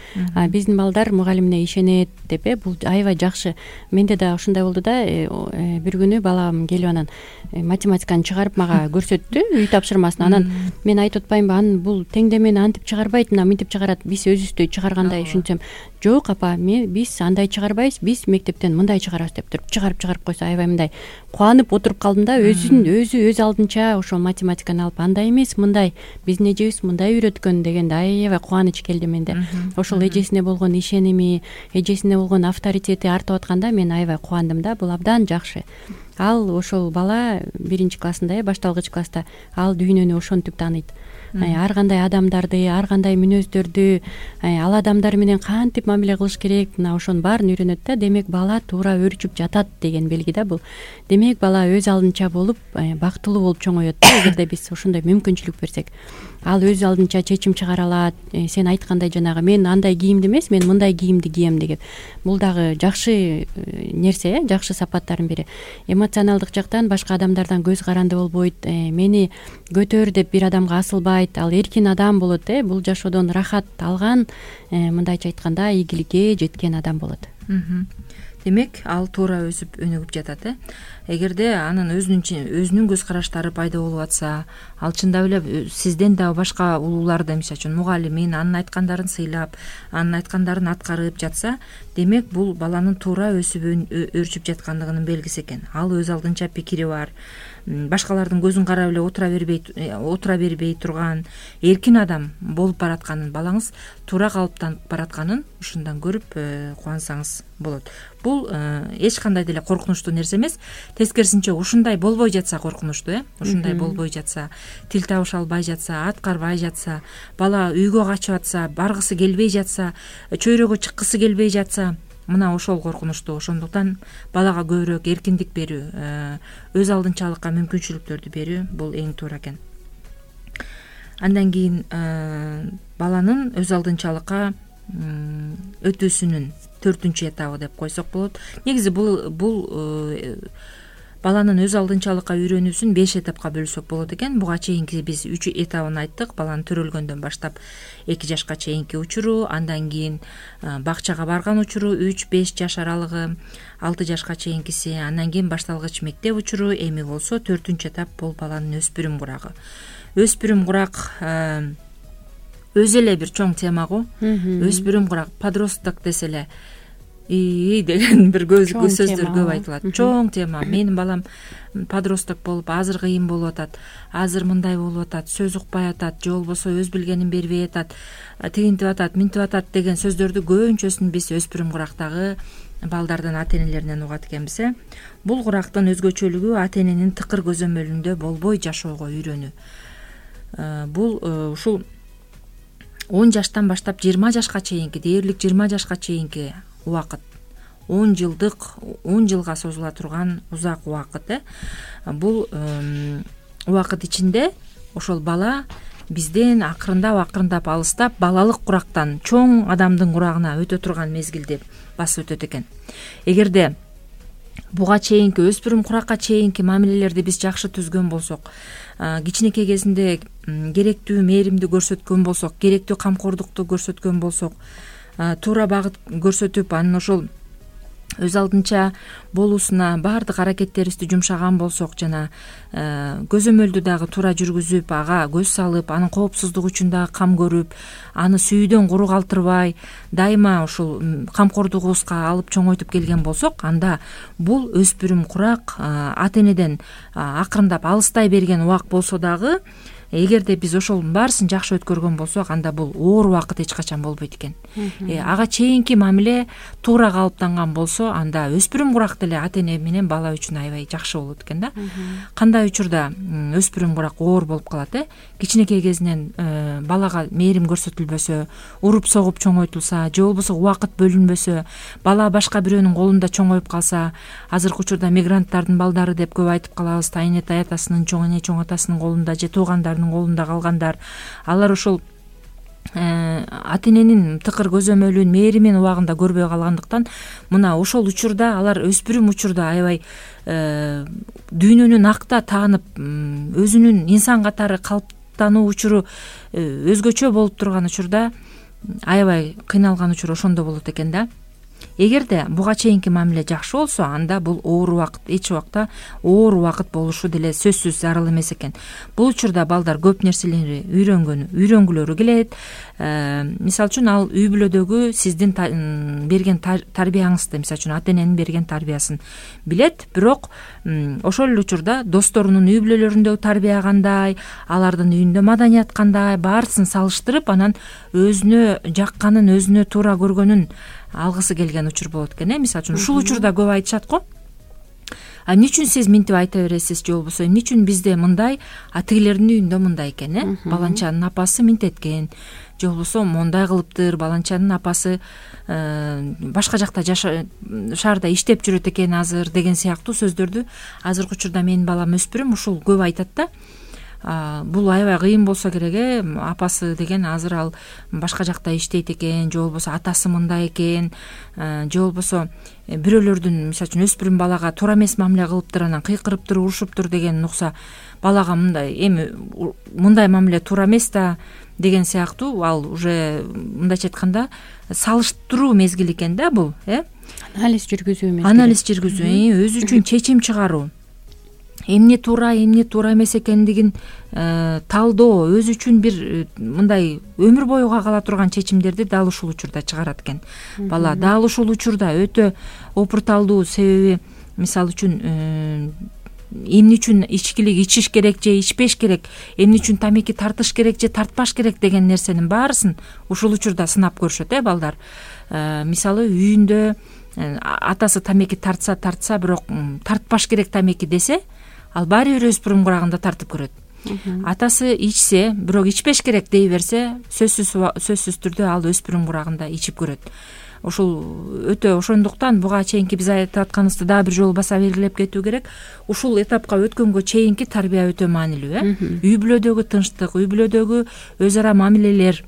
Биздин балдар мугалимине ишенет деп, бул аябай жакшы. Менде да ушундай болду да, бир күнү балам келип анан математиканы чыгарып мага көрсөттү, үй тапшырмасын. Анан мен айтып атпаймынбы, анын бул теңдемени антип чыгарбайт, мына мынтип чыгарат, биз өзүбүздөй чыгаргандай ушинтсем, жок апа, биз андай чыгарбайбыз, биз мектептен мындай чыгарабыз деп туруп чыгарып койсо аябай мындай кубанып отуруп калдым да, өзү өз алдынча ошол математиканы алып андай эмес, мындай биздин эжебиз мындай үйрөткөн дегенде аябай кубаныч келди менде. Ошол эжесине болгон ишеними, эжесине болгон авторитети артып атканда мен аябай кубандым да, бул абдан жакшы. Ал ошол бала 1-классында, башталгыч класста ал дүйнөнү ошентип тааныйт. Ар кандай адамдарды, ар кандай мүнөздөрдү, ал адамдар менен кантип мамиле кылыш керек, мына ошонун баарын үйрөнөт да. Демек бала туура өөрчүп жатат деген белги да бул. Демек бала өз алдынча болуп, бактылуу болуп чоңоет да, эгерде биз ошондой мүмкүнчүлүк берсек. Ал өз алдынча чечим чыгара алат. Сен айткандай жанагы мен андай кийимди эмес, мен мындай кийимди кийем деген. Бул дагы жакшы нерсе, жакшы сапаттардын бири. Эмоционалдык жактан башка адамдардан көз каранды болбойт, мени көтөр деп бир адамга асылбайт, ал эркин адам болот, бул жашоодон рахат алган, мындайча айтканда ийгиликке жеткен адам болот. Демек ал туура өсүп өнүгүп жатат. Эгерде анын өзүнүн көз караштары пайда болуп атса, ал чындап эле сизден дагы башка улууларды, мисалы үчүн мугалимин анын айткандарын сыйлап, анын айткандарын аткарып жатса, демек бул баланын туура өсүп өөрчүп жаткандыгынын белгиси экен. Ал өз алдынча пикири бар, башкалардын көзүн карап эле отура бербей турган эркин адам болуп баратканын, балаңыз туура калыптанып баратканын ушундан көрүп кубансаңыз болот. Бул эч кандай деле коркунучтуу нерсе эмес. Тескерисинче ушундай болбой жатса коркунучтуу, ушундай болбой жатса, тил табыша албай жатса, аткарбай жатса, бала үйгө качып атса, баргысы келбей жатса, чөйрөгө чыккысы келбей жатса, мына ошол коркунучтуу. Ошондуктан балага көбүрөөк эркиндик берүү, өз алдынчалыкка мүмкүнчүлүктөрдү берүү бул эң туура экен. Андан кийин баланын өз алдынчалыкка өтүүсүнүн 4-чү этабы деп койсок болот. Негизи бул баланын өз алдынчалыкка үйрөнүүсүн 5 этапка бөлсөк болот экен. Буга чейинки биз 3 этабын айттык. Баланын төрөлгөндөн баштап 2 жашка чейинки учуру, андан кийин бакчага барган учуру 3-5 жаш аралыгы, 6 жашка чейинкиси, андан кийин башталгыч мектеп учуру, эми болсо 4-чү этап бул баланын өспүрүм курагы. Өспүрүм курак өзү эле бир чоң тема го. Өспүрүм курак, подросток десе эле деген бир сөздөр көп айтылат. Чоң тема. Менин балам подросток болуп, азыр кыйын болуп атат, азыр мындай болуп атат, сөз укпай атат, же болбосо өз билгенин бербей атат, тигинтип атат, минтип атат деген сөздөрдү көбүнчөсүн биз өспүрүм курактагы балдардын ата энелеринен угат экенбиз. Бул курактын өзгөчөлүгү ата эненин тыкыр көзөмөлүндө болбой жашоого үйрөнүү. бул ушул 10 жаштан баштап 20 жашка чейинки, дээрлик 20 жашка чейинки убакыт, 10 жылга созула турган узак убакыт. Бул убакыт ичинде ошол бала бизден акырындап алыстап балалык курактан чоң адамдын курагына өтө турган мезгилди басып өтөт экен. Эгерде буга чейинки өспүрүм куракка чейинки мамилелерди биз жакшы түзгөн болсок, кичинекей кезинде керектүү мээримди көрсөткөн болсок, керектүү камкордукту көрсөткөн болсок, туура багыт көрсөтүп, анын ошол өз алдынча болуусуна баардык аракеттерибизди жумшаган болсок, жана көзөмөлдү дагы туура жүргүзүп, ага көз салып, анын коопсуздугу үчүн дагы кам көрүп, аны сүйүүдөн куру калтырбай, дайыма ушул камкордугубузга алып чоңойтуп келген болсок, анда бул өспүрүм курак ата энеден акырындап алыстай берген убак болсо дагы, эгерде биз ошонун баарысын жакшы өткөргөн болсок, анда бул оор убакыт эч качан болбойт экен. Ага чейинки мамиле туура калыптанган болсо, анда өспүрүм курак деле ата эне менен бала үчүн аябай жакшы болот экен да. Кандай учурда өспүрүм курак оор болуп калат? Кичинекей кезинен балага мээрим көрсөтүлбөсө, уруп согуп чоңойтулса, же болбосо убакыт бөлүнбөсө, бала башка бирөөнүн колунда чоңоюп калса, азыркы учурда мигранттардын балдары деп көп айтып калабыз, тайэне таятасынын, чоң эне чоң атасынын колунда же туугандардын колунда калгандар, алар ошол ата эненин тыкыр көзөмөлүн, мээримин убагында көрбөй калгандыктан, мына ошол учурда алар өспүрүм учурда аябай дүйнөнү накта таанып, өзүнүн инсан катары калыптануу учуру өзгөчө болуп турган учурда аябай кыйналган учур ошондо болот экен да. Эгерде буга чейинки мамиле жакшы болсо, анда бул оор убакыт, эч убакта оор убакыт болушу деле сөзсүз зарыл эмес экен. Бул учурда балдар көп нерселерди үйрөнгүлөрү келет. Мисалы үчүн ал үй бүлөдөгү сиздин берген тарбияңызды, мисалы үчүн ата эненин берген тарбиясын билет, бирок ошол эле учурда досторунун үй бүлөлөрүндөгү тарбия кандай, алардын үйүндө маданият кандай, баарысын салыштырып, анан өзүнө жакканын, өзүнө туура көргөнүн алгысы келген учур болот экен. Мисалы үчүн ушул учурда көп айтышат го, эмне үчүн сиз минтип айта бересиз, же болбосо эмне үчүн бизде мындай, тигилердин үйүндө мындай экен, баланчанын апасы минтеткен, же болбосо мондай кылыптыр, баланчанын апасы башка жакта шаарда иштеп жүрөт экен азыр, деген сыяктуу сөздөрдү азыркы учурда менин балам өспүрүм ушул көп айтат да. Бул аябай кыйын болсо керек, апасы деген азыр ал башка жакта иштейт экен, же болбосо атасы мындай экен, же болбосо бирөөлөрдүн, мисалы үчүн өспүрүм балага туура эмес мамиле кылыптыр, анан кыйкырыптыр, урушуптур деген укса, балага мындай мындай мамиле туура эмес да деген сыяктуу, ал уже мындайча айтканда салыштыруу мезгили экен да бул, анализ жүргүзүү мезгили. Анализ жүргүзүү, өзү үчүн чечим чыгаруу. Эмне туура, эмне туура эмес экендигин талдоо, өзү үчүн бир мындай өмүр боюга кала турган чечимдерди дал ушул учурда чыгарат экен бала. Дал ушул учурда өтө опурталдуу, себеби мисалы үчүн эмне үчүн ичкилик ичиш керек же ичпеш керек, эмне үчүн тамеки тартыш керек же тартпаш керек деген нерсенин баарысын ушул учурда сынап көрүшөт балдар. Мисалы үйүндө атасы тамеки тартса, бирок тартпаш керек тамеки десе, ал баары бир өспүрүм курагында тартып көрөт. Атасы ичсе, бирок ичпеш керек дей берсе, сөзсүз түрдө ал өспүрүм курагында ичип көрөт. Ушул өтө, ошондуктан буга чейинки биз айтып атканыбызды дагы бир жолу баса белгилеп кетүү керек. Ушул этапка өткөнгө чейинки тарбия өтө маанилүү. Үй бүлөдөгү тынчтык, үй бүлөдөгү өз ара мамилелер,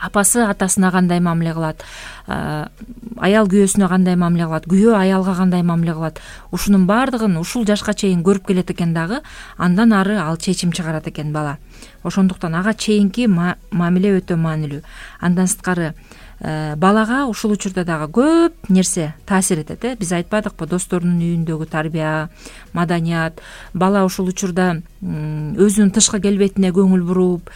апасы атасына кандай мамиле кылат, аял күйөөсүнө кандай мамиле кылат, күйөө аялга кандай мамиле кылат, ушунун баардыгын ушул жашка чейин көрүп келет экен дагы, андан ары ал чечим чыгарат экен бала. Ошондуктан ага чейинки мамиле өтө маанилүү. Андан сырткары балага ушул учурда дагы көп нерсе таасир этет. Биз айтпадыкпы, досторунун үйүндөгү тарбия, маданият, бала ушул учурда өзүнүн тышкы келбетине көңүл буруп,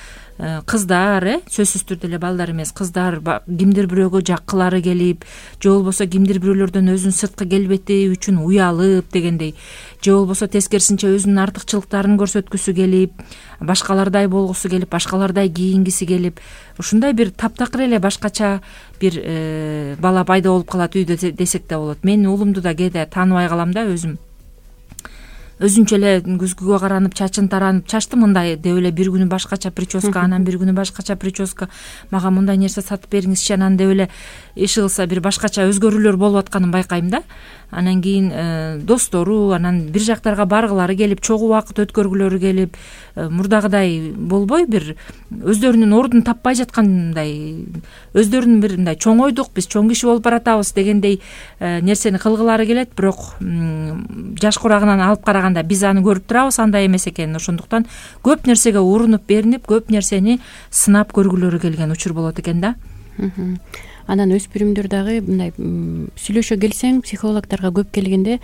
кыздар, сөзсүз түрдө эле балдар эмес, кыздар кимдир бирөөгө жаккылары келип, же болбосо кимдир бирөөлөрдөн өзүнүн сырткы келбети үчүн уялып дегендей, же болбосо тескерисинче өзүнүн артыкчылыктарын көрсөткүсү келип, башкалардай болгусу келип, башкалардай кийингиси келип, ушундай бир таптакыр эле башкача бир бала пайда болуп калат үйдө десек да болот. Мен уулумду да кээде тааныбай калам да өзүм. өзүнчө эле күзгүгө каранып чачын таранып чачты мындай деп эле бир күнү башкача прическа, анан бир күнү башкача прическа, мага мындай нерсе сатып бериңизчи, анан деп эле иши кылса бир башкача өзгөрүүлөр болуп атканын байкайм да. Анан кийин достору, анан бир жактарга баргылары келип, чогуу убакыт өткөргүлөрү келип, мурдагыдай болбой бир өздөрүнүн ордун таппай жаткандай, өздөрүнүн бир мындай чоң ойдук, биз чоң киши болуп баратабыз дегендей нерсени кылгылары келет. Бирок жаш курагынан алып караганда биз аны көрүп турабыз, андай эмес экенин. Ошондуктан көп нерсеге урунуп беринип, көп нерсени сынап көргүлөрү келген учур болот экен да. Анан өспүрүмдөр дагы мындай сүйлөшө келсең, психологдорго көп келгенде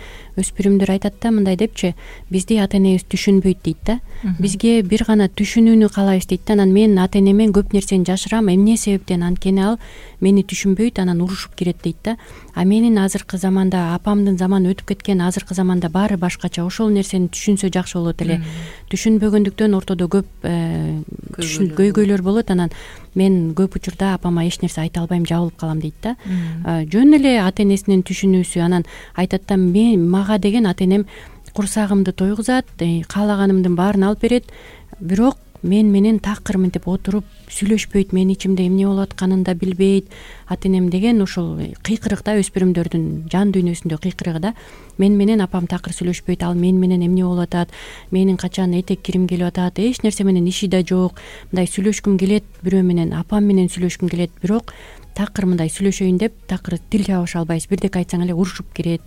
өспүрүмдөр айтат да мындай депчи: бизди ата энебиз түшүнбөйт дейт да. Бизге бир гана түшүнүүнү каалайбыз дейт да. Анан мен ата энемен көп нерсени жашырам, эмне себептен, анткени ал мени түшүнбөйт, анан урушуп кирет дейт да. А менин азыркы заманда, апамдын заманы өтүп кеткен, азыркы заманда баары башкача. Ошол нерсени түшүнсө жакшы болот эле. Түшүнбөгөндүктөн ортодо көп көйгөйлөр болот. Анан мен көп учурда апама эч нерсе айта албайм, жабылып калам дейт да. Жөн эле ата энесинин түшүнүүсү. Анан айтат да, мага деген ата энем курсагымды тойгузат, каалаганымдын баарын алып берет, бирок мен менен такыр мынтип отуруп сүйлөшпөйт, менин ичимде эмне болуп атканын да билбейт ата энем деген. Ошол кыйкырык да, өспүрүмдөрдүн жан дүйнөсүндө кыйкырыгы да. Мен менен апам такыр сүйлөшпөйт, ал мен менен эмне болуп атат, менин качан этек кирим келип атат, эч нерсе менен иши да жок. Мындай сүйлөшкүм келет, бирөө менен, апам менен сүйлөшкүм келет, бирок такыр мындай сүйлөшөйүн деп такыр тил табыша албайбыз, бирдеке айтсаң эле урушуп кирет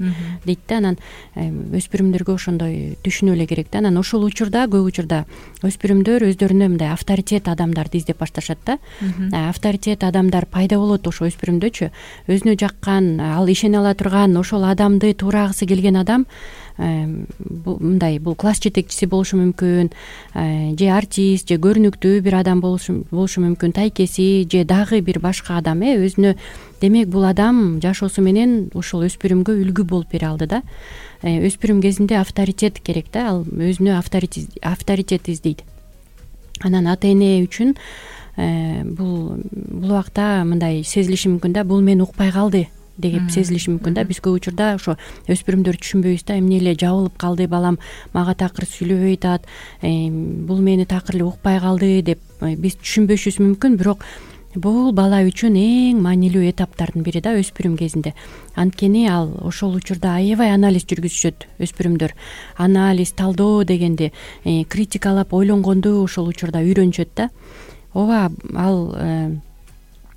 дейт да. Анан өспүрүмдөргө ошондой түшүнүү эле керек да. Анан ошол учурда, көп учурда өспүрүмдөр өздөрүнө мындай авторитет адамдарды издеп башташат да. Авторитет адамдар пайда болот ошо өспүрүмдөчү. Өзүнө жаккан, ал ишене ала турган, ошол адамды туурагысы келген адам мындай бул класс жетекчиси болушу мүмкүн, же артист, же көрүнүктүү бир адам болушу мүмкүн, тайкеси, же дагы бир башка адам өзүнө. Демек бул адам жашоосу менен ошол өспүрүмгө үлгү болуп бере алды да. Өспүрүм кезинде авторитет керек да, ал өзүнө авторитет издейт. Анан ата эне үчүн бул убакта мындай сезилиши мүмкүн да, бул мени укпай калды деп сезилиши мүмкүн да. Биз көп учурда ошо өспүрүмдөр түшүнбөйбүз да, эмне эле жабылып калды балам, мага такыр сүйлөбөй атат, бул мени такыр эле укпай калды деп биз түшүнбөшүбүз мүмкүн. Бирок бул бала үчүн эң маанилүү этаптардын бири да, өспүрүм кезинде. Анткени ал ошол учурда аябай анализ жүргүзүшөт өспүрүмдөр. Анализ, талдоо дегенди, критикалап ойлонгонду ошол учурда үйрөнүшөт да. Ооба, ал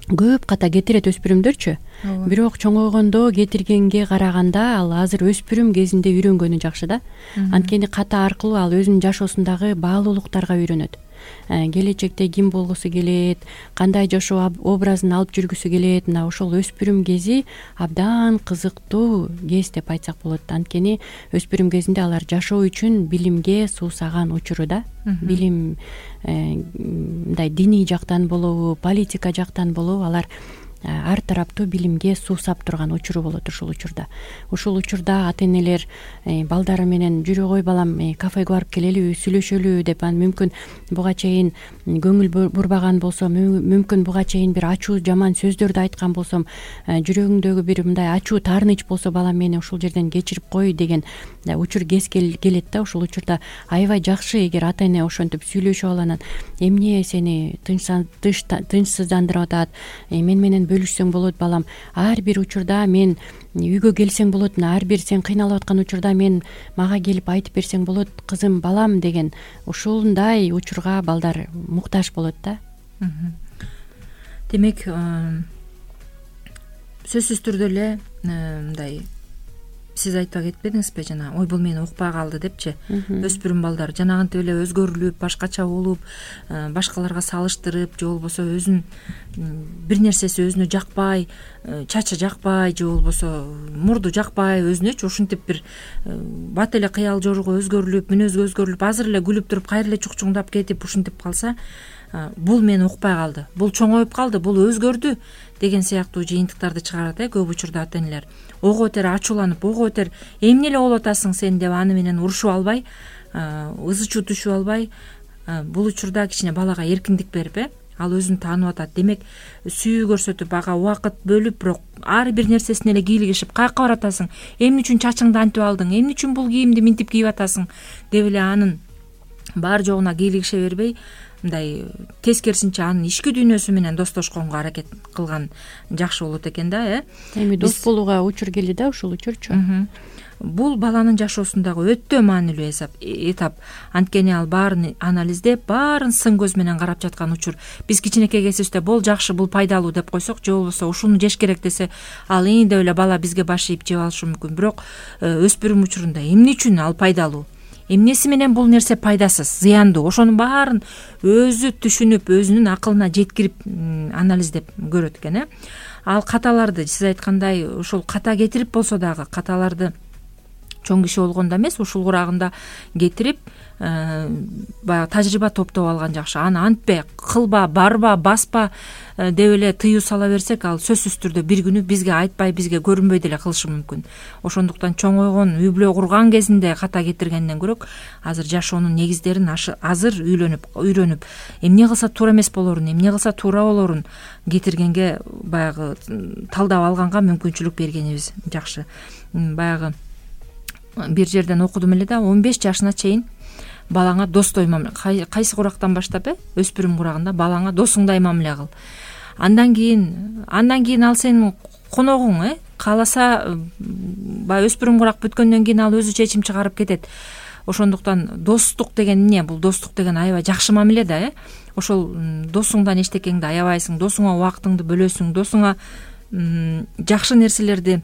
көп ката кетирет өспүрүмдөрчү. Бирок чоңойгондо кетиргенге караганда ал азыр өспүрүм кезинде үйрөнгөнү жакшы да. Анткени ката аркылуу ал өзүнүн жашоосундагы баалуулуктарга үйрөнөт. Келечекте ким болгусу келет, кандай жашоо образын алып жүргүсү келет. Мына ошол өспүрүм кези абдан кызыктуу кез деп айтсак болот. Анткени өспүрүм кезинде алар жашоо үчүн билимге суусаган учуру да. Билим мындай диний жактан болобу, политика жактан болобу, алар ар тараптуу билимге суусап турган учуру болот ушул учурда. Ушул учурда ата энелер балдары менен жүрө кой балам, кафеге барып келелиби, сүйлөшөлү деп, анан мүмкүн буга чейин көңүл бурбаган болсом, мүмкүн буга чейин бир ачуу жаман сөздөрдү айткан болсом, жүрөгүңдөгү бир мындай ачуу таарыныч болсо, балам мени ушул жерден кечирип кой деген учур кез келет да. Ушул учурда аябай жакшы эгер ата эне ошентип сүйлөшүп алып, эмне сени тынчсыздандырып атат, мен менен бөлүшсөң болот балам, ар бир учурда мен үйгө келсең болот, ар бир сен кыйналып аткан учурда мага келип айтып берсең болот кызым, балам деген ушундай учурга балдар муктаж болот да. Демек сөзсүз түрдө эле мындай сиз айтпак этпедиңизби, жана ой бул мени укпай калды депчи. Өспүрүм балдар жанагынтип эле өзгөрүлүп, башкача болуп, башкаларга салыштырып, же болбосо өзүн бир нерсеси өзүнө жакпай, чачы жакпай, же болбосо мурду жакпай, өзүнөчү ушинтип бир бат эле кыял жорууга өзгөрүлүп, мүнөзгө өзгөрүлүп, азыр эле күлүп туруп кайра эле чукчуңдап кетип ушинтип калса, бул мени укпай калды, бул чоңоюп калды, бул өзгөрдү деген сыяктуу жыйынтыктарды чыгарат көп учурда ата энелер. Ого бетер ачууланып, ого бетер эмне эле болуп атасың сен деп аны менен урушуп албай, ызы чуу түшүп албай, бул учурда кичине балага эркиндик берип, ал өзүн таанып атат. Демек сүйүү көрсөтүп, ага убакыт бөлүп, бирок ар бир нерсесине эле кийлигишип, каяка баратасың, эмне үчүн чачыңды антип алдың, эмне үчүн бул кийимди минтип кийип атасың деп эле анын бар жогуна кийлигише бербей, мындай тескерисинче анын ички дүйнөсү менен достошконго аракет кылган жакшы болот экен да. Эми дос болууга учур келди да, ушул учурчу. Бул баланын жашоосундагы өтө маанилүү этап. Анткени ал баарын анализдеп, баарын сын көз менен карап жаткан учур. Биз кичинекей кезибизде бул жакшы, бул пайдалуу деп койсок, же болбосо ушуну жеш керек десе, ал деп эле бала бизге баш ийип жеп алышы мүмкүн. Бирок өспүрүм учурунда эмне үчүн ал пайдалуу, эмнеси менен бул нерсе пайдасыз, зыяндуу, ошонун баарын өзү түшүнүп, өзүнүн акылына жеткирип анализдеп көрөт экен. Ал каталарды, сиз айткандай, ушул ката кетирип болсо дагы, каталарды чоң киши болгондо эмес, ушул курагында кетирип, баягы тажрыйба топтоп алган жакшы. Аны антпе, кылба, барба, баспа деп эле тыюу сала берсек, ал сөзсүз түрдө бир күнү бизге айтпай, бизге көрүнбөй деле кылышы мүмкүн. Ошондуктан чоңойгон, үй бүлө курган кезинде ката кетиргенден көрөк, азыр жашоонун негиздерин азыр үйрөнүп, эмне кылса туура эмес болорун, эмне кылса туура болорун кетиргенге, баягы талдап алганга мүмкүнчүлүк бергенибиз жакшы. Баягы бир жерден окудум эле да, 15 жашына чейин балаңа достой мамиле, кайсы курактан баштап өспүрүм курагында балаңа досуңдай мамиле кыл. Андан кийин ал сенин коногуң, кааласа баягы өспүрүм курак бүткөндөн кийин ал өзү чечим чыгарып кетет. Ошондуктан достук деген эмне? Бул достук деген аябай жакшы мамиле да. Ошол досуңдан эчтекеңди аябайсың, досуңа убактыңды бөлөсүң, досуңа жакшы нерселерди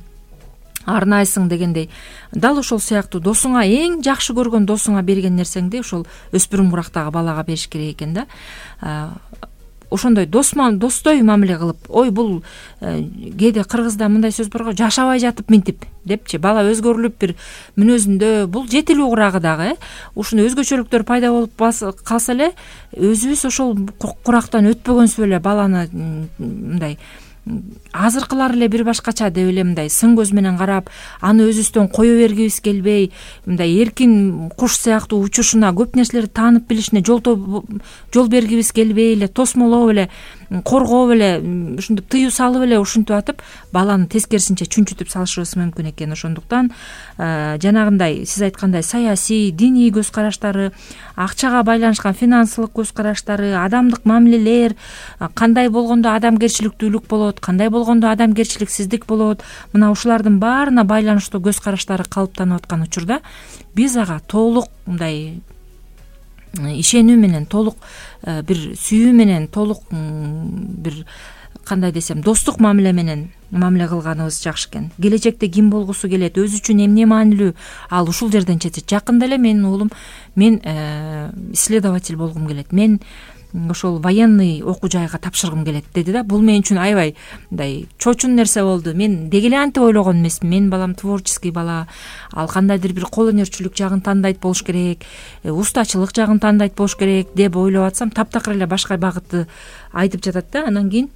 арнайсың дегендей. Дал ошол сыяктуу досуңа, эң жакшы көргөн досуңа берген нерсеңди ошол өспүрүм курактагы балага бериш керек экен да. Ошондой достой мамиле кылып, ой бул кээде кыргызда мындай сөз бар го, жашабай жатып минтип депчи, бала өзгөрүлүп бир мүнөзүндө, бул жетилүү курагы дагы. Ушундай өзгөчөлүктөр пайда болуп калса эле, өзүбүз ошол курактан өтпөгөнсүп эле баланы мындай азыркылар эле бир башкача деп эле мындай сын көз менен карап, аны өзүбүздөн кое бергибиз келбей, мындай эркин куш сыяктуу учушуна, көп нерселерди таанып билишине жол бергибиз келбей эле, тосмолоп эле, коргоп эле, ушинтип тыюу салып эле ушинтип атып, баланы тескерисинче чүнчүтүп салышыбыз мүмкүн экен. Ошондуктан жанагындай сиз айткандай саясий, диний көз караштары, акчага байланышкан финансылык көз караштары, адамдык мамилелер, кандай болгондо адамгерчиликтүүлүк болот, кандай болгондо адамгерчиликсиздик болот, мына ушулардын баарына байланыштуу көз караштары калыптанып аткан учурда биз ага толук мындай ишенүү менен, толук бир сүйүү менен, толук бир кандай десем, достук мамиле менен мамиле кылганыбыз жакшы экен. Келечекте ким болгусу келет, өзү үчүн эмне маанилүү, ал ушул жерден чечет. Жакында эле менин уулум, мен исследователь болгум келет, мен ошол военный окуу жайга тапшыргым келет деди да. Бул мен үчүн аябай мындай чочун нерсе болду. Мен деги эле антип ойлогон эмесмин. Менин балам творческий бала, ал кандайдыр бир кол өнөрчүлүк жагын тандайт болуш керек, устачылык жагын тандайт болуш керек деп ойлоп атсам, таптакыр эле башка багытты айтып жатат да. Анан кийин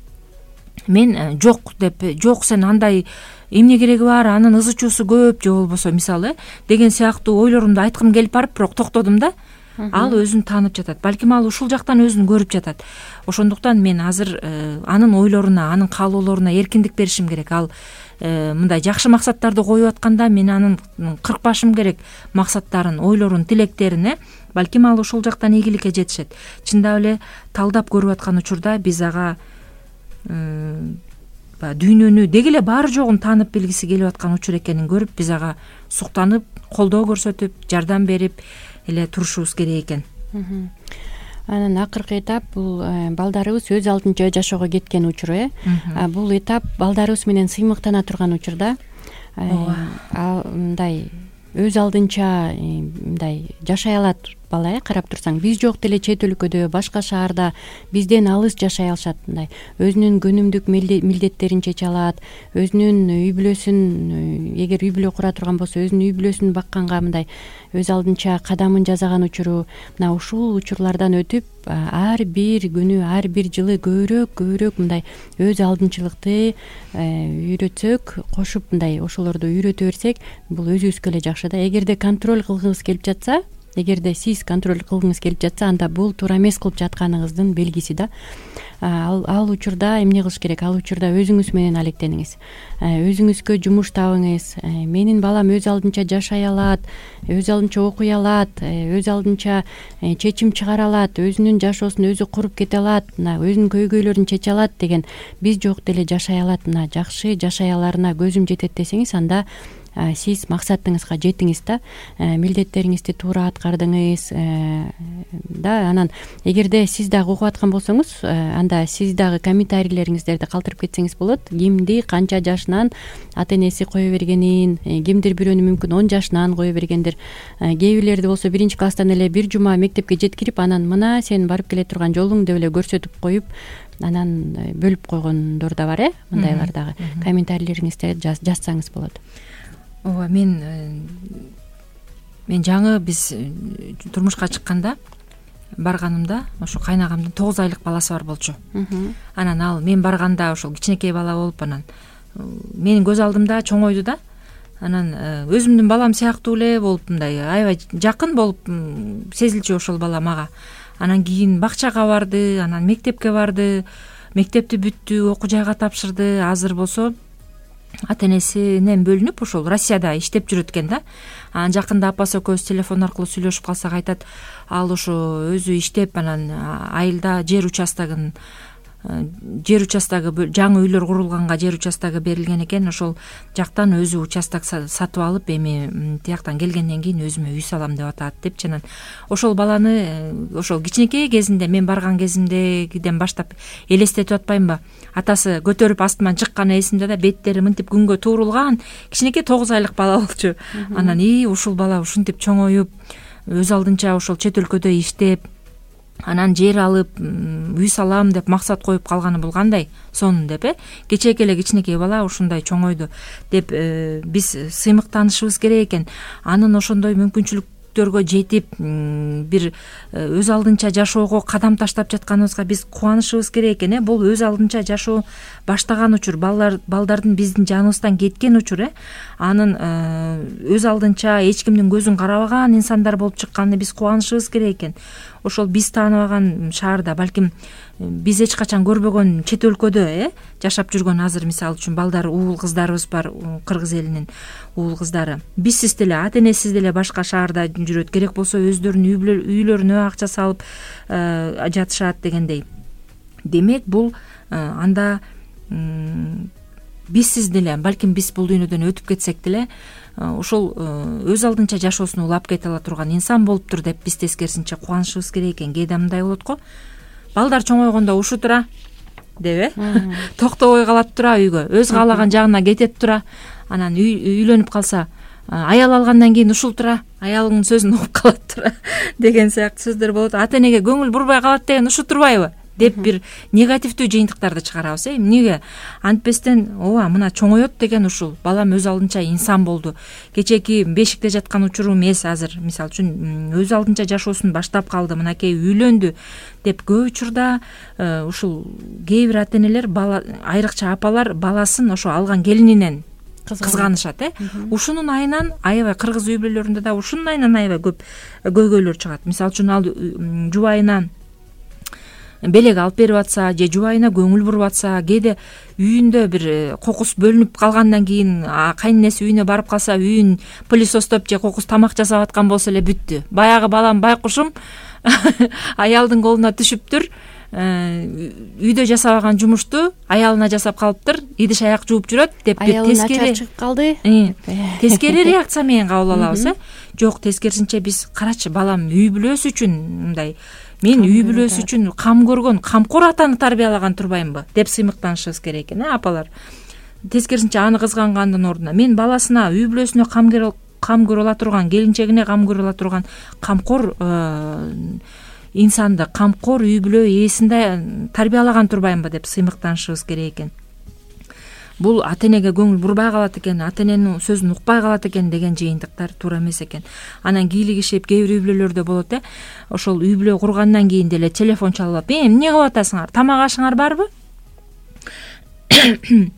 мен жок деп, жок сен андай эмне кереги бар, анын ызы чуусу көп, же болбосо мисалы деген сыяктуу ойлорумду айткым келип барып, бирок токтодум да. Ал өзүн таанып жатат. Балким ал ушул жактан өзүн көрүп жатат. Ошондуктан мен азыр анын ойлоруна, анын каалоолоруна эркиндик беришим керек. Ал мындай жакшы максаттарды коюп атканда мен анын кыркпашым керек максаттарын, ойлорун, тилектерин. Балким ал ушул жактан ийгиликке жетишет. Чындап эле талдап көрүп аткан учурда биз ага дүйнөнү деги эле баары жогун таанып билгиси келип аткан учур экенин көрүп, биз ага суктанып, колдоо көрсөтүп, жардам берип эле турушубуз керек экен. Анан акыркы этап бул балдарыбыз өз алдынча жашоого кеткен учур. Бул этап балдарыбыз менен сыймыктана турган учурда мындай өз алдынча мындай жашай алат бала. Карап турсаң, биз жок деле чет өлкөдө, башка шаарда бизден алыс жашай алышат. Мындай өзүнүн күнүмдүк милдеттерин чече алат, өзүнүн үй бүлөсүн, эгер үй бүлө кура турган болсо, өзүнүн үй бүлөсүн бакканга мындай өз алдынча кадамын жасаган учуру. Мына ушул учурлардан өтүп, ар бир күнү, ар бир жылы көбүрөөк мындай өз алдынчылыкты үйрөтсөк, кошуп мындай ошолорду үйрөтө берсек, бул өзүбүзгө эле жакшы да. Эгерде контроль кылгыбыз келип жатса, эгерде сиз контроль кылгыңыз келип жатса, анда бул туура эмес кылып жатканыңыздын белгиси да. Ал учурда эмне кылыш керек? Ал учурда өзүңүз менен алектениңиз, өзүңүзгө жумуш табыңыз. Менин балам өз алдынча жашай алат, өз алдынча окуй алат, өз алдынча чечим чыгара алат, өзүнүн жашоосун өзү куруп кете алат, мына өзүнүн көйгөйлөрүн чече алат деген биз жок деле жашай алат, мына жакшы жашай аларына көзүм жетет десеңиз, анда сиз максатыңызга жетиңиз да, милдеттериңизди туура аткардыңыз да. Анан эгерде сиз дагы угуп аткан болсоңуз, анда сиз дагы комментарийлериңиздерди калтырып кетсеңиз болот. Кимди канча жашынан ата энеси кое бергенин, кимдир бирөөнү мүмкүн 10 жашынан кое бергендир. Кээ бирлерди болсо 1-класстан эле бир жума мектепке жеткирип, анан мына сен барып келе турган жолуң деп эле көрсөтүп коюп, анан бөлүп койгондор да бар. Мындайлар дагы комментарийлериңизди жазсаңыз болот. Ооба, мен жаңы биз турмушка чыкканда барганымда ошо кайнагамдын 9 айлык баласы бар болчу. Анан ал мен барганда ошол кичинекей бала болуп, анан менин көз алдымда чоңойду да. Анан өзүмдүн балам сыяктуу эле болуп, мындай аябай жакын болуп сезилчү ошол бала мага. Анан кийин бакчага барды, анан мектепке барды, мектепти бүттү, окуу жайга тапшырды. Азыр болсо ата энесинен бөлүнүп ошол Россияда иштеп жүрөт экен да. Анан жакында апасы экөөбүз телефон аркылуу сүйлөшүп калсак айтат, ал ошо өзү иштеп, анан айылда жер участогу жаңы үйлөр курулганга жер участогу берилген экен. Ошол жактан өзү участок сатып алып, эми тияктан келгенден кийин өзүмө үй салам деп атат депчи. Анан ошол баланы ошол кичинекей кезинде, мен барган кезимдегиден баштап элестетип атпаймынбы? Атасы көтөрүп астынан чыкканы эсимде да, беттери мынтип күнгө туурулган кичинекей 9 айлык бала болчу. Анан ушул бала ушинтип чоңоюп, өз алдынча ошол чет өлкөдө иштеп, анан жер алып, үй салам деп максат коюп калганы бул кандай сонун деп, кечээки эле кичинекей бала ушундай чоңойду деп биз сыймыктанышыбыз керек экен. Анын ошондой мүмкүнчүлүктөргө жетип, бир өз алдынча жашоого кадам таштап жатканыбызга биз кубанышыбыз керек экен. Бул өз алдынча жашоо баштаган учур, балдардын биздин жаныбыздан кеткен учур. Анын өз алдынча эч кимдин көзүн карабаган инсандар болуп чыкканына биз кубанышыбыз керек экен. Ошол биз тааныбаган шаарда, балким биз эч качан көрбөгөн чет өлкөдө жашап жүргөн, азыр мисалы үчүн балдар, уул кыздарыбыз бар, кыргыз элинин уул кыздары. Бизсиз деле, ата энесиз деле башка шаарда жүрөт, керек болсо өздөрүнүн үйлөрүнө акча салып жатышат дегендей. Демек бул анда бизсиз деле, балким биз бул дүйнөдөн өтүп кетсек деле, ошол өз алдынча жашоосун улап кете ала турган инсан болуптур деп биз тескерисинче кубанышыбыз керек экен. Кээде мындай болот го, балдар чоңойгондо ушу тура деп, токтобой калат тура үйгө, өз каалаган жагына кетет тура. Анан үйлөнүп калса, аял алгандан кийин ушул тура, аялыңдын сөзүн угуп калат тура деген сыяктуу сөздөр болот. Ата энеге көңүл бурбай калат деген ушу турбайбы деп бир негативдүү жыйынтыктарды чыгарабыз. Эмнеге? Антпестен ооба, мына чоңоет деген ушул. Балам өз алдынча инсан болду. Кечээки бешикте жаткан учуру эмес, азыр мисалы үчүн өз алдынча жашоосун баштап калды, мынакей үйлөндү деп көп учурда ушул кээ бир ата энелер, айрыкча апалар баласын ошо алган келининен кызганышат. Ушунун айынан аябай кыргыз үй бүлөлөрүндө да ушунун айынан аябай көп көйгөйлөр чыгат. Мисалы үчүн ал жубайына белек алып берип атса, же жубайына көңүл буруп атса, кээде үйүндө бир кокус бөлүнүп калгандан кийин кайненеси үйүнө барып калса, үйүн пылесостоп же кокус тамак жасап аткан болсо эле бүттү. Баягы балам байкушум аялдын колуна түшүптүр, үйдө жасабаган жумушту аялына жасап калыптыр, идиш аяк жууп жүрөт деп бир тескери чыгып калды. Тескери реакция менен кабыл алабыз. Жок, тескерисинче биз карачы, балам үй бүлөсү үчүн мындай, мен үй бүлөсү үчүн кам көргөн, камкор атаны тарбиялаган турбаймынбы деп сыймыктанышыбыз керек экен, апалар. Тескерисинче аны кызгангандын ордуна мен баласына, үй бүлөсүнө кам көрө ала турган, келинчегине кам көрө ала турган камкор инсанды, камкор үй бүлө ээсинде тарбиялаган турбаймынбы деп сыймыктанышыбыз керек экен. Бул ата энеге көңүл бурбай калат экен, ата эненин сөзүн укпай калат экен деген жыйынтыктар туура эмес экен. Анан кийлигишип кээ бир үй бүлөлөрдө болот. Ошол үй бүлө кургандан кийин деле телефон чалып, эмне кылып атасыңар, тамак ашыңар барбы?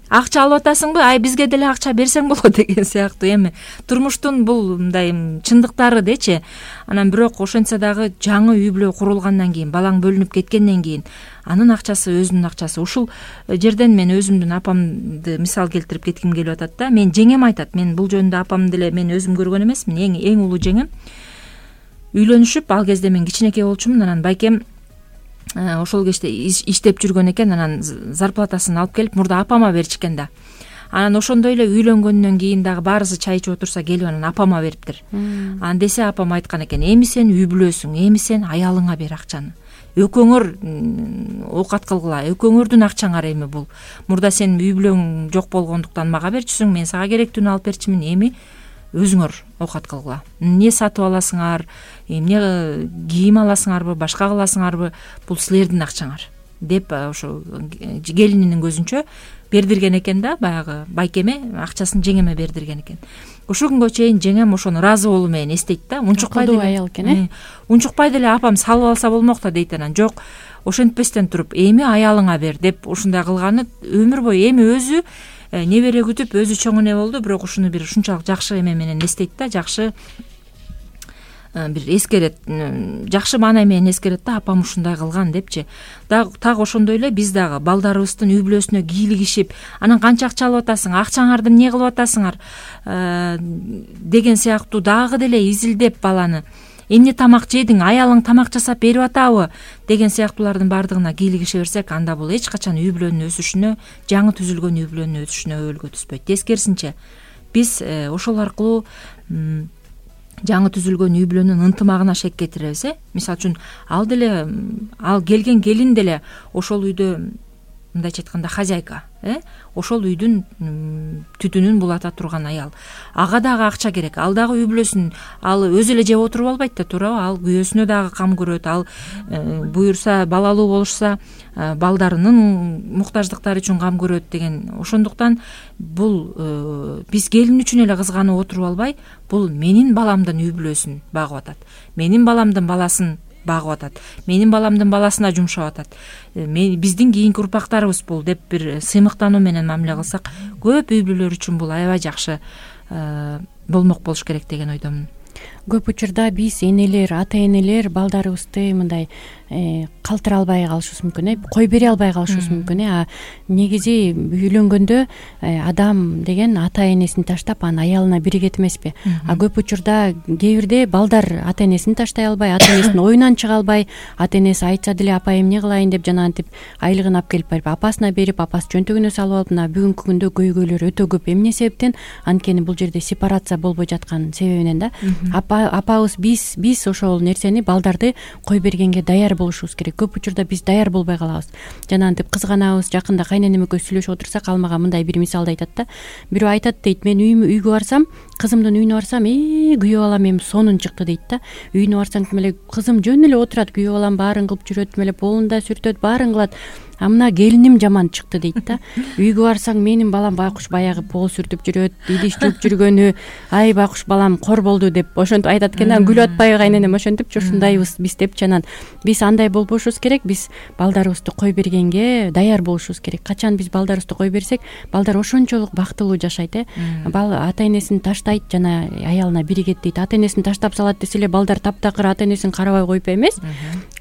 акча алып атасыңбы, ай бизге деле акча берсең болот деген сыяктуу эми турмуштун бул мындай чындыктары дечи. Анан бирок ошентсе дагы жаңы үй бүлө курулгандан кийин, балаң бөлүнүп кеткенден кийин анын акчасы өзүнүн акчасы. Ушул жерден мен өзүмдүн апамды мисал келтирип кетким келип атат да. Мен жеңем айтат, мен бул жөнүндө апамды деле мен өзүм көргөн эмесмин, эң улуу жеңем. Үйлөнүшүп, ал кезде мен кичинекей болчумун, анан байкем ошол кечте иштеп жүргөн экен, анан зарплатасын алып келип мурда апама беришкен да. Анан ошондой эле үйлөнгөндөн кийин дагы баарысы чай ичип отурса келип анан апама бериптир. Анан десе апам айткан экен, эми сен үй бүлөсүң, эми сен аялыңа бер акчаны. Экөөңөр оокат кылгыла, экөөңөрдүн акчаңар эми бул. Мурда сен үй бүлөң жок болгондуктан мага берчүсүң, мен сага керектүүнү алып берчүмүн, эми өзүңөр оокат кылгыла. Эмне сатып аласыңар, эмне кийим аласыңарбы, башка кыласыңарбы, бул силердин акчаңар деп ошо келининин көзүнчө бердирген экен да, баягы байкеме акчасын жеңеме бердирген экен. Ошол күнгө чейин жеңем ошону ыраазы болуу менен эстейт да. Унчукпай деле аял экен, унчукпай деле апам салып алса болмок да дейт. Анан жок, ошентпестен туруп эми аялыңа бер деп ушундай кылганы өмүр бою. Эми өзү небере күтүп өзү чоң эне болду, бирок ушуну бир ушунчалык жакшы эме менен эстейт да, жакшы бир эскерет, жакшы маана менен эскерет да, апам ушундай кылган депчи. Так ошондой эле биз дагы балдарыбыздын үй бүлөсүнө кийлигишип, анан канча акча алып атасың, акчаңарды эмне кылып атасыңар деген сыяктуу дагы деле изилдеп баланы, эмне тамак жедиң, аялың тамак жасап берип атабы деген сыяктуулардын баардыгына кийлигише берсек, анда бул эч качан үй бүлөнүн өсүшүнө, жаңы түзүлгөн үй бүлөнүн өсүшүнө өбөлгө түспөйт. Тескерисинче биз ошол аркылуу жаңы түзүлгөн үй бүлөнүн ынтымагына шек кетиребиз. Мисалы үчүн ал деле, ал келген келин деле ошол үйдө мындайча айтканда хозяйка, ошол үйдүн түтүнүн булата турган аял. Ага дагы акча керек, ал дагы үй бүлөсүн ал өзү эле жеп отуруп албайт да, туурабы? Ал күйөөсүнө дагы кам көрөт, ал буюрса, балалуу болушса балдарынын муктаждыктары үчүн кам көрөт деген. Ошондуктан бул биз келин үчүн эле кызганып отуруп албай, бул менин баламдын үй бүлөсүн багып атат, менин баламдын баласын багып атат, менин баламдын баласына жумшап атат, биздин кийинки урпактарыбыз бул деп бир сыймыктануу менен мамиле кылсак, көп үй бүлөлөр үчүн бул аябай жакшы болмок болуш керек деген ойдомун. Көп учурда биз энелер, ата энелер балдарыбызды мындай калтыра албай калышыбыз мүмкүн, кой бере албай калышыбыз мүмкүн. Негизи үйлөнгөндө адам деген ата энесин таштап анын аялына биригет эмеспи? Көп учурда кээ бирде балдар ата энесин таштай албай, ата энесинин оюнан чыга албай, ата энеси айтса деле апа эмне кылайын деп жанагынтип айлыгын алып келип барып апасына берип, апасы чөнтөгүнө салып алып, мына бүгүнкү күндө көйгөйлөр өтө көп. Эмне себептен? Анткени бул жерде сепарация болбой жаткан себебинен да. Апабыз биз ошол нерсени, балдарды кой бергенге даяр болушубуз керек. Көп учурда биз даяр болбой калабыз. Жанагынтип кызганабыз. Жакында кайненем экөөбүз сүйлөшүп отурсак, ал мага мындай бир мисалды айтат да. Бирөө айтат дейт, мен үйгө барсам, кызымдын үйүнө барсам, күйөө балам эми сонун чыкты дейт да. Үйүнө барсаң тим эле кызым жөн эле отурат, күйөө балам баарын кылып жүрөт, тим эле полунда сүртөт, баарын кылат. А мына келиним жаман чыкты дейт да. Үйгө барсаң, менин балам байкуш баягы пол сүртүп жүрөт, идиш жууп жүргөнү, ай байкуш балам кор болду деп ошентип айтат экен. Күлүп атпайбы кайненем ошентипчи, ушундайбыз биз депчи. Анан биз андай болбошубуз керек. Биз балдарыбызды кой бергенге даяр болушубуз керек. Качан биз балдарыбызды кой берсек, балдар ошончолук бактылуу жашайт. Ата энесин таштайт, жана аялына биригет дейт. Ата энесин таштап салат десе эле балдар таптакыр ата энесин карабай коюп эмес,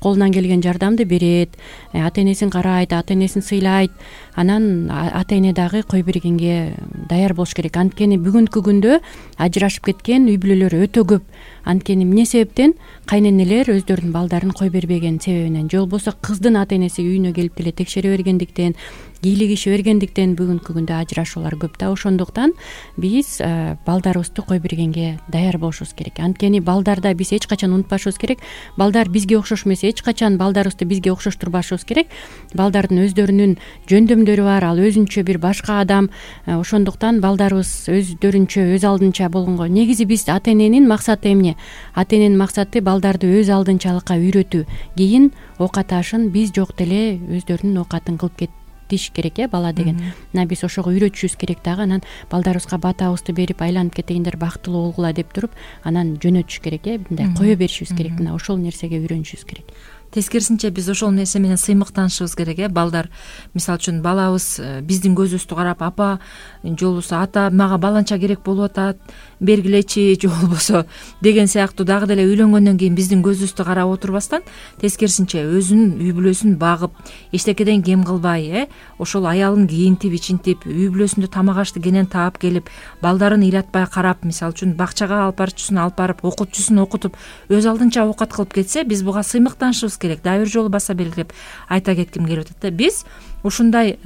колунан келген жардамды берет, ата энесин карайт, ата энесин сыйлайт. Анан ата эне дагы кой бергенге даяр болуш керек. Анткени бүгүнкү күндө ажырашып кеткен үй бүлөлөр өтө көп. Анткени эмне себептен? Кайненелер өздөрүнүн балдарын кой бербеген себебинен, же болбосо кыздын ата энеси үйүнө келип деле текшере бергендиктен, кийлигише бергендиктен бүгүнкү күндө ажырашуулар көп да. Ошондуктан биз балдарыбызды кой бергенге даяр болушубуз керек. Анткени балдарда биз эч качан унутпашыбыз керек. Балдар бизге окшош эмес, эч качан балдарыбызды бизге окшоштурбашыбыз керек. Балдардын өздөрүнүн жөндөмдөрү бар, ал өзүнчө бир башка адам. Ошондуктан балдарыбыз өздөрүнчө, өз алдынча болгонго. Негизи биз ата эненин максаты эмне? Ата эненин максаты балдарды өз алдынчалыкка үйрөтүү. Кийин оокат ашын биз жок деле өздөрүнүн оокатын кылып кетиш керек, бала деген. Мына биз ошого үйрөтүшүбүз керек дагы. Анан балдарыбызга батабызды берип, айланып кетейиндер, бактылуу болгула деп туруп, анан жөнөтүш керек, мындай кое беришибиз керек. Мына ошол нерсеге үйрөнүшүбүз керек. тескерисинче биз ошол нерсе менен сыймыктанышыбыз керек. Балдар, мисалы үчүн балабыз биздин көзүбүздү карап, апа же болбосо ата мага баланча керек болуп атат, бергилечи, же болбосо деген сыяктуу дагы деле үйлөнгөндөн кийин биздин көзүбүздү карап отурбастан, тескерисинче өзүнүн үй бүлөсүн багып, эчтекеден кем кылбай, ошол аялын кийинтип, ичинтип, үй бүлөсүндө тамак ашты кенен таап келип, балдарын ыйратпай карап, мисалы үчүн бакчага алып барчусун алып барып, окутчусун окутуп, өз алдынча оокат кылып кетсе, биз буга сыймыктанышыбыз керек. Дагы бир жолу баса белгилеп айта кетким келип атат да. Биз ушундай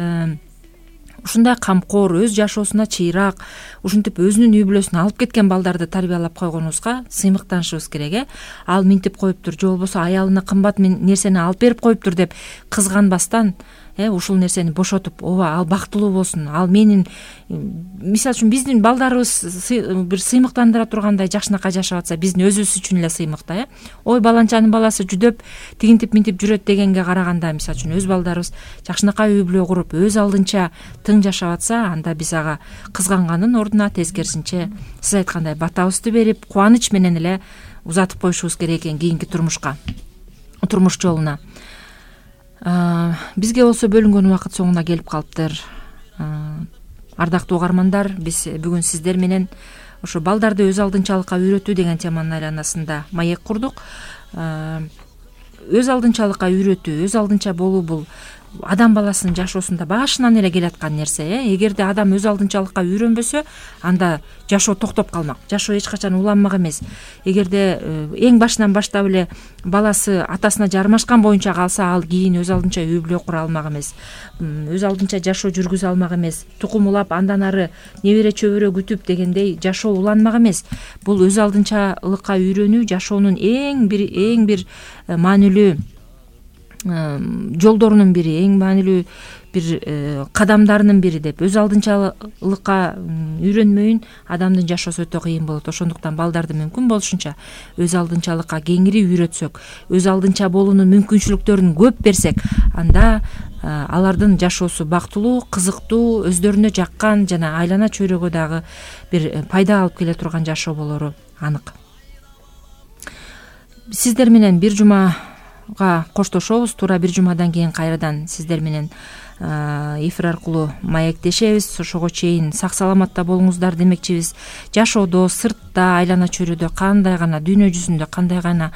камкор, өз жашоосуна чыйраак, ушинтип өзүнүн үй бүлөсүн алып кеткен балдарды тарбиялап койгонубузга сыймыктанышыбыз керек. Ал минтип коюптур, же болбосо аялына кымбат нерсени алып берип коюптур деп кызганбастан, ушул нерсени бошотуп, ооба ал бактылуу болсун, ал менин, мисалы үчүн биздин балдарыбыз бир сыймыктандыра тургандай жакшынакай жашап атса, биздин өзүбүз үчүн эле сыймык да. Ой, баланчанын баласы жүдөп тигинтип минтип жүрөт дегенге караганда, мисалы үчүн өз балдарыбыз жакшынакай үй бүлө куруп, өз алдынча тың жашап атса, анда биз ага кызганганын ордуна тескерисинче сиз айткандай батабызды берип, кубаныч менен эле узатып коюшубуз керек экен кийинки турмуш жолуна. Бизге болсо бөлүнгөн убакыт соңуна келип калыптыр. Ардактуу угармандар, биз бүгүн сиздер менен ошо балдарды өз алдынчалыкка үйрөтүү деген теманын айланасында маек курдук. Өз алдынчалыкка үйрөтүү, өз алдынча болуу бул адам баласынын жашоосунда башынан эле келаткан нерсе. Эгерде адам өз алдынчалыкка үйрөнбөсө, анда жашоо токтоп калмак, жашоо эч качан уланмак эмес. Эгерде эң башынан баштап эле баласы атасына жармашкан боюнча калса, ал кийин өз алдынча үй бүлө кура алмак эмес, өз алдынча жашоо жүргүзө алмак эмес, тукум улап андан ары небере чөбөрө күтүп дегендей жашоо уланмак эмес. Бул өз алдынчалыкка үйрөнүү жашоонун эң бир маанилүү жолдорунун бири, эң маанилүү бир кадамдарынын бири деп. Өз алдынчалыкка үйрөнмөйүн адамдын жашоосу өтө кыйын болот. Ошондуктан балдарды мүмкүн болушунча өз алдынчалыкка кеңири үйрөтсөк, өз алдынча болуунун мүмкүнчүлүктөрүн көп берсек, анда алардын жашоосу бактылуу, кызыктуу, өздөрүнө жаккан жана айлана чөйрөгө дагы бир пайда алып келе турган жашоо болору анык. Сиздер менен бир жумага коштошобуз. Туура бир жумадан кийин кайрадан сиздер менен эфир аркылуу маектешебиз. Ошого чейин сак саламатта болуңуздар демекчибиз. Жашоодо, сыртта, айлана чөйрөдө кандай гана, дүйнө жүзүндө кандай гана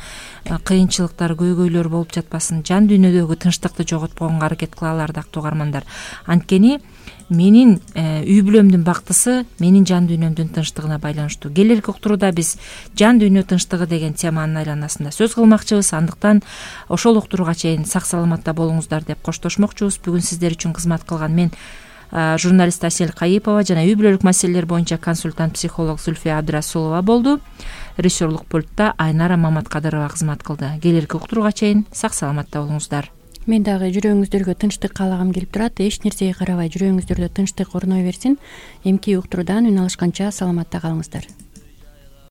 кыйынчылыктар, көйгөйлөр болуп жатпасын, жан дүйнөдөгү тынчтыкты жоготконго аракет кылалы, ардактуу угармандар. Анткени менин үй бүлөмдүн бактысы менин жан дүйнөмдүн тынчтыгына байланыштуу. Келерки уктурууда биз жан дүйнө тынчтыгы деген теманын айланасында сөз кылмакчыбыз. Андыктан ошол уктурууга чейин сак саламатта болуңуздар деп коштошмокчубуз. Бүгүн сиздер үчүн кызмат кылган мен журналист Асель Кайыпова жана үй бүлөлүк маселелер боюнча консультант психолог Зульфия Абдрасулова болду. Режиссерлук пультта Айнара Маматкадырова кызмат кылды. Келерки уктурууга чейин сак саламатта болуңуздар. Мен дагы жүрөгүңүздөргө тынчтык каалагым келип турат. Эч нерсеге карабай жүрөгүңүздөрдө тынчтык орной берсин. Эмки уктуруудан үн алышканча саламатта калыңыздар.